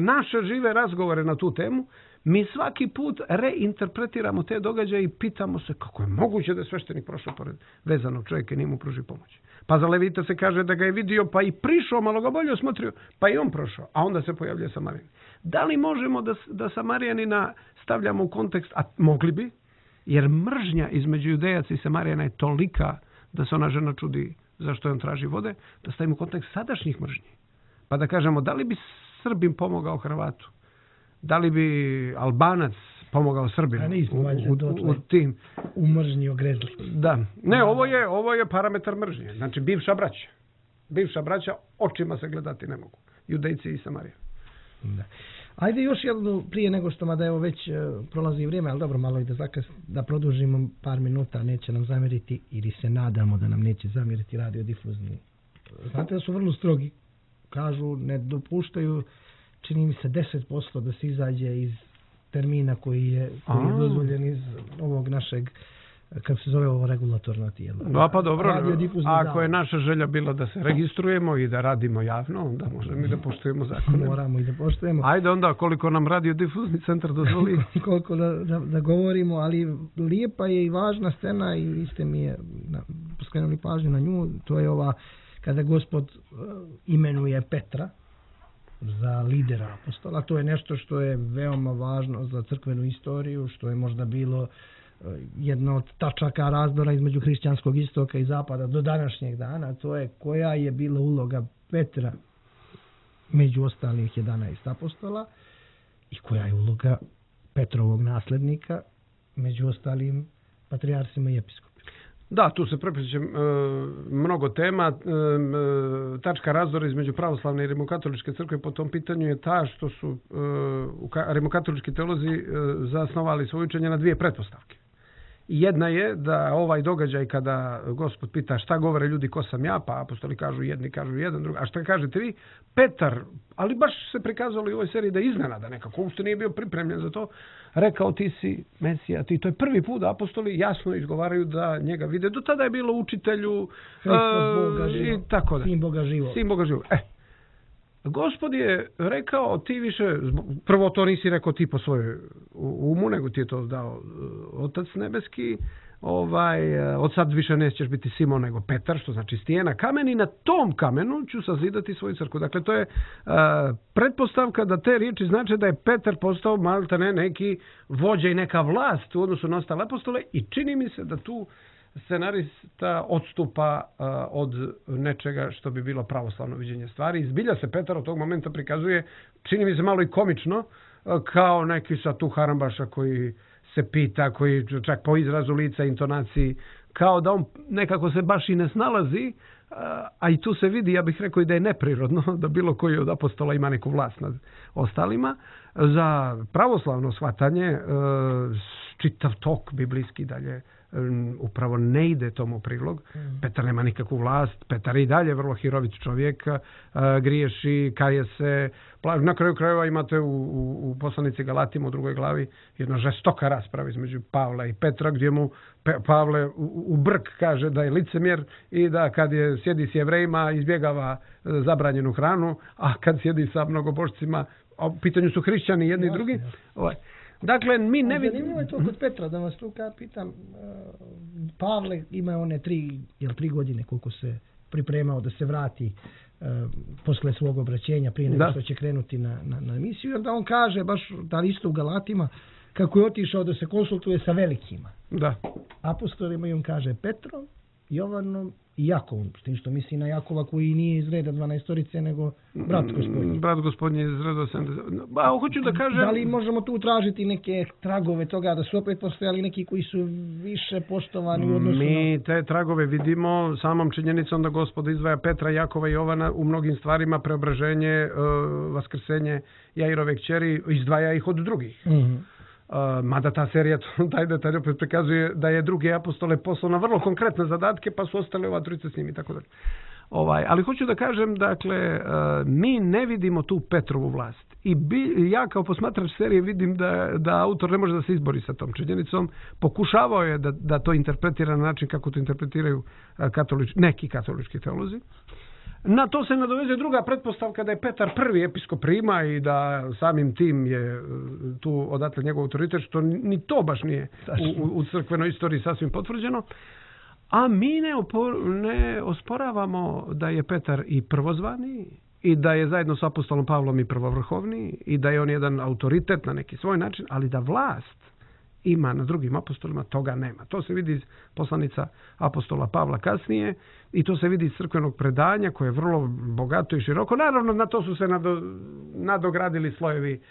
naše žive razgovore na tu temu, mi svaki put reinterpretiramo te događaje i pitamo se kako je moguće da je sveštenik prošao pored vezanog čovjeka i nije mu pružio pomoć. Pa za Levita se kaže da ga je vidio pa i prišao, malo ga bolje osmotrio, pa i on prošao, a onda se pojavljuje Samarijan. Da li možemo da Samarijanina stavljamo u kontekst, a mogli bi, jer mržnja između Judejaca i Samarijana je tolika da se ona žena čudi zašto on traži vode, da stavimo u kontekst sadašnjih mržnji. Pa da kažemo, da li bi Srbin pomogao Hrvatu? Da li bi Albanac pomogao Srbinu? U tim u mržnji ogrezli. Da. Ne, ovo je parametar mržnje. Znači, bivša braća. Bivša braća očima se gledati ne mogu. Judejci i Samarija. Da. Ajde još jednu, prije nego što mada evo već prolazi vrijeme, ali dobro, malo i da produžimo par minuta, neće nam zamjeriti, ili se nadamo da nam neće zamjeriti radiodifuzni. Znate da su vrlo strogi. Kažu, ne dopuštaju, čini mi se 10% da se izađe iz termina koji je dozvoljen iz ovog našeg, kako se zove ovo regulatorno tijelo. Da, pa dobro, ako je naša želja bila da se registrujemo i da radimo javno, onda možemo i da poštujemo zakone. Moramo i da poštujemo. Ajde onda, koliko nam radiodifuzni centar dozvoli. Koliko da govorimo, ali lijepa je i važna scena i vi ste mi je skrenuli pažnju na nju, to je ova kada Gospod imenuje Petra za lidera apostola. To je nešto što je veoma važno za crkvenu istoriju, što je možda bilo jedno od tačaka razdora između hrišćanskog istoka i zapada do današnjeg dana. To je koja je bila uloga Petra među ostalih 11 apostola i koja je uloga Petrovog nasljednika među ostalim patrijarsima i episkopima. Da, tu se prepliće mnogo tema. Tačka razdora između pravoslavne i rimokatoličke crkve po tom pitanju je ta što su rimokatolički teolozi zasnovali svoje učenje na dvije pretpostavke. Jedna je da ovaj događaj kada Gospod pita šta govore ljudi, ko sam ja, pa apostoli kažu jedni, kažu jedan, drugi. A šta kažete vi? Petar, ali baš se prikazalo i u ovoj seriji da iznenada nekako, uopšte nije bio pripremljen za to, rekao ti si Mesija, ti. To je prvi put da apostoli jasno izgovaraju da njega vide. Do tada je bilo učitelju i tako da. Sin Boga živog. Sin Boga živog. Gospod je rekao ti više, prvo to nisi rekao ti po svojoj umu, nego ti je to dao Otac nebeski, od sad više nećeš biti Simon nego Petar, što znači stijena kamen, i na tom kamenu ću sazidati svoju crkvu. Dakle, to je pretpostavka da te riječi znači da je Petar postao maltene neki vođa i neka vlast u odnosu na ostale apostole, i čini mi se da tu scenarista odstupa od nečega što bi bilo pravoslavno viđenje stvari. Izbilja se Petar od tog momenta prikazuje, čini mi se malo i komično, kao neki sa tu harambaša koji se pita, koji čak po izrazu lica, intonaciji, kao da on nekako se baš i ne snalazi, a i tu se vidi, ja bih rekao, i da je neprirodno da bilo koji od apostola ima neku vlast nad ostalima. Za pravoslavno shvatanje čitav tok biblijski dalje upravo ne ide tomu prilog. Petar nema nikakvu vlast, Petar i dalje vrlo hirovit čovjek, griješi, kaje se. Na kraju krajeva imate u poslanici Galatima u 2. glavi jedna žestoka rasprava između Pavla i Petra, gdje mu Pavle u brk kaže da je licemjer i da kad sjedi s Jevrejima izbjegava zabranjenu hranu, a kad sjedi sa mnogobošcima, a u pitanju su hrišćani jedni i drugi. Dakle, mi ne vidimo... Zanimljivo je to kod Petra, da vas tu pitam. Pavle ima one 3 godine koliko se pripremao da se vrati posle svog obraćenja, prije nego što će krenuti na misiju. Jer da on kaže, baš da isto u Galatima, kako je otišao da se konsultuje sa velikima. Da. Apostolima, i on kaže Petrom, Jovanom i Jakovom, s tim što misli na Jakova koji nije iz reda 12-orice, nego brat gospodnji. Brat gospodnji iz reda 70. Hoću da kažem... Da li možemo tu tražiti neke tragove toga, da su opet postojali neki koji su više poštovani u odnosu Mi te tragove vidimo samom činjenicom da Gospod izdvaja Petra, Jakova i Jovana u mnogim stvarima, preobraženje, vaskrsenje Jairove kćeri, izdvaja ih od drugih. Mada ta serija taj detalj opet prikazuje da je drugi apostole poslao na vrlo konkretne zadatke, pa su ostale ova trojica s njim i tako dalje. Ali hoću da kažem, dakle, mi ne vidimo tu Petrovu vlast. I ja kao posmatrač serije vidim da autor ne može da se izbori sa tom činjenicom. Pokušavao je da to interpretira na način kako to interpretiraju neki katolički teolozi. Na to se nadovezuje druga pretpostavka da je Petar prvi episkop Rima i da samim tim je tu odatle njegov autoritet, što ni to baš nije u crkvenoj istoriji sasvim potvrđeno. A mi ne osporavamo da je Petar i prvozvani i da je zajedno s apostolom Pavlom i prvovrhovni i da je on jedan autoritet na neki svoj način, ali da vlast ima na drugim apostolima, toga nema. To se vidi iz poslanica apostola Pavla kasnije i to se vidi iz crkvenog predanja koje je vrlo bogato i široko. Naravno, na to su se nadogradili slojevi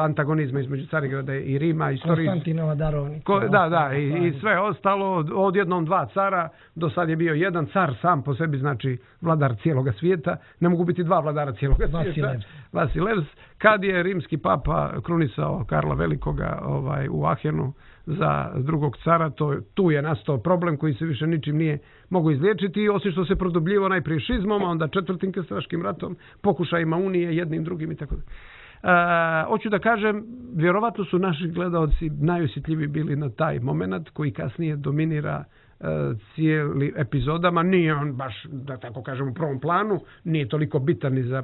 antagonizma između Carigrada i Rima. Konstantinova darovnica. I sve ostalo, odjednom 2 cara, do sad je bio jedan car sam po sebi, znači vladar cijeloga svijeta. Ne mogu biti 2 vladara cijeloga svijeta. Vasilevs. Kad je rimski papa krunisao Karla Velikoga u Ahenu za drugog cara, tu je nastao problem koji se više ničim nije mogu izliječiti, osim što se produbljivao najprije šizmom, a onda 4. krstaškim ratom, pokušajima unije jednim drugim i tako da. Hoću da kažem, vjerovatno su naši gledaoci najosjetljiviji bili na taj moment koji kasnije dominira cijeli epizodama. Nije on baš, da tako kažem, u prvom planu, nije toliko bitan ni za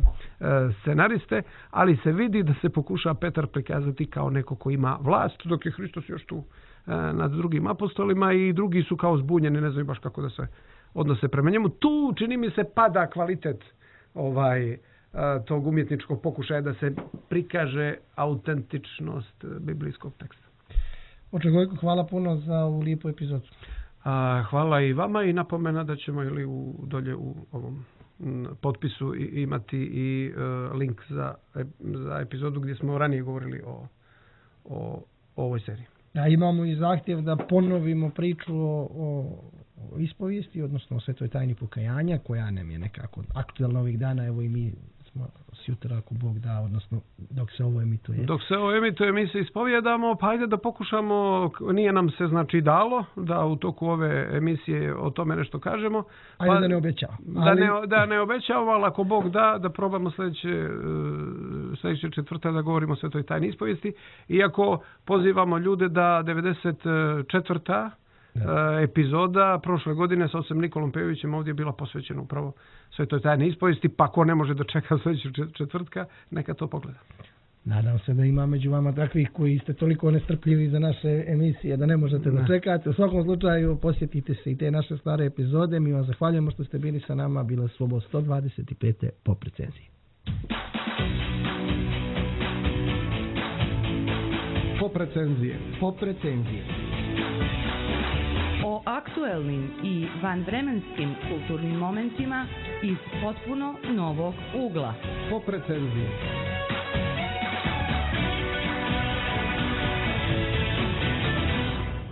scenariste, ali se vidi da se pokuša Petar prikazati kao neko ko ima vlast, dok je Hristos još tu nad drugim apostolima i drugi su kao zbunjeni, ne znaju baš kako da se odnose prema njemu. Tu, čini mi se, pada kvalitet tog umjetničkog pokušaja da se prikaže autentičnost biblijskog teksta. Oče Gojko, hvala puno za ovu lijepu epizodu. Hvala i vama i napomena da ćemo dolje u ovom potpisu imati i link za epizodu gdje smo ranije govorili o ovoj seriji. Imamo i zahtjev da ponovimo priču o ispovijesti, odnosno o svetoj tajni pokajanja, koja nam je nekako aktualna ovih dana. Evo i mi smo sjutra, ako Bog da, odnosno dok se ovo emituje. Dok se ovo emituje, mi se ispovjedamo, pa ajde da pokušamo, nije nam se znači dalo da u toku ove emisije o tome nešto kažemo. Ajde da ne obećamo. Da ne obećamo, ali ako Bog da probamo sljedeće četvrta da govorimo o Svetoj tajni ispovijesti. Iako pozivamo ljude da 94. epizoda prošle godine sa ocem Nikolom Pejovićem ovdje je bila posvećena upravo Svetoj tajni ispovijesti, pa ko ne može da čeka sljedećeg četvrtka, neka to pogleda. Nadam se da ima među vama takvih koji ste toliko nestrpljivi za naše emisije da ne možete da čekate. U svakom slučaju posjetite se i te naše stare epizode. Mi vam zahvaljujemo što ste bili sa nama. Bilo je Slobo 125. Pop recenzije. Pop recenzije. Pop recenzije. O aktuelnim i vanvremenskim kulturnim momentima iz potpuno novog ugla. Pop recenzije.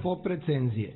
Pop recenzije.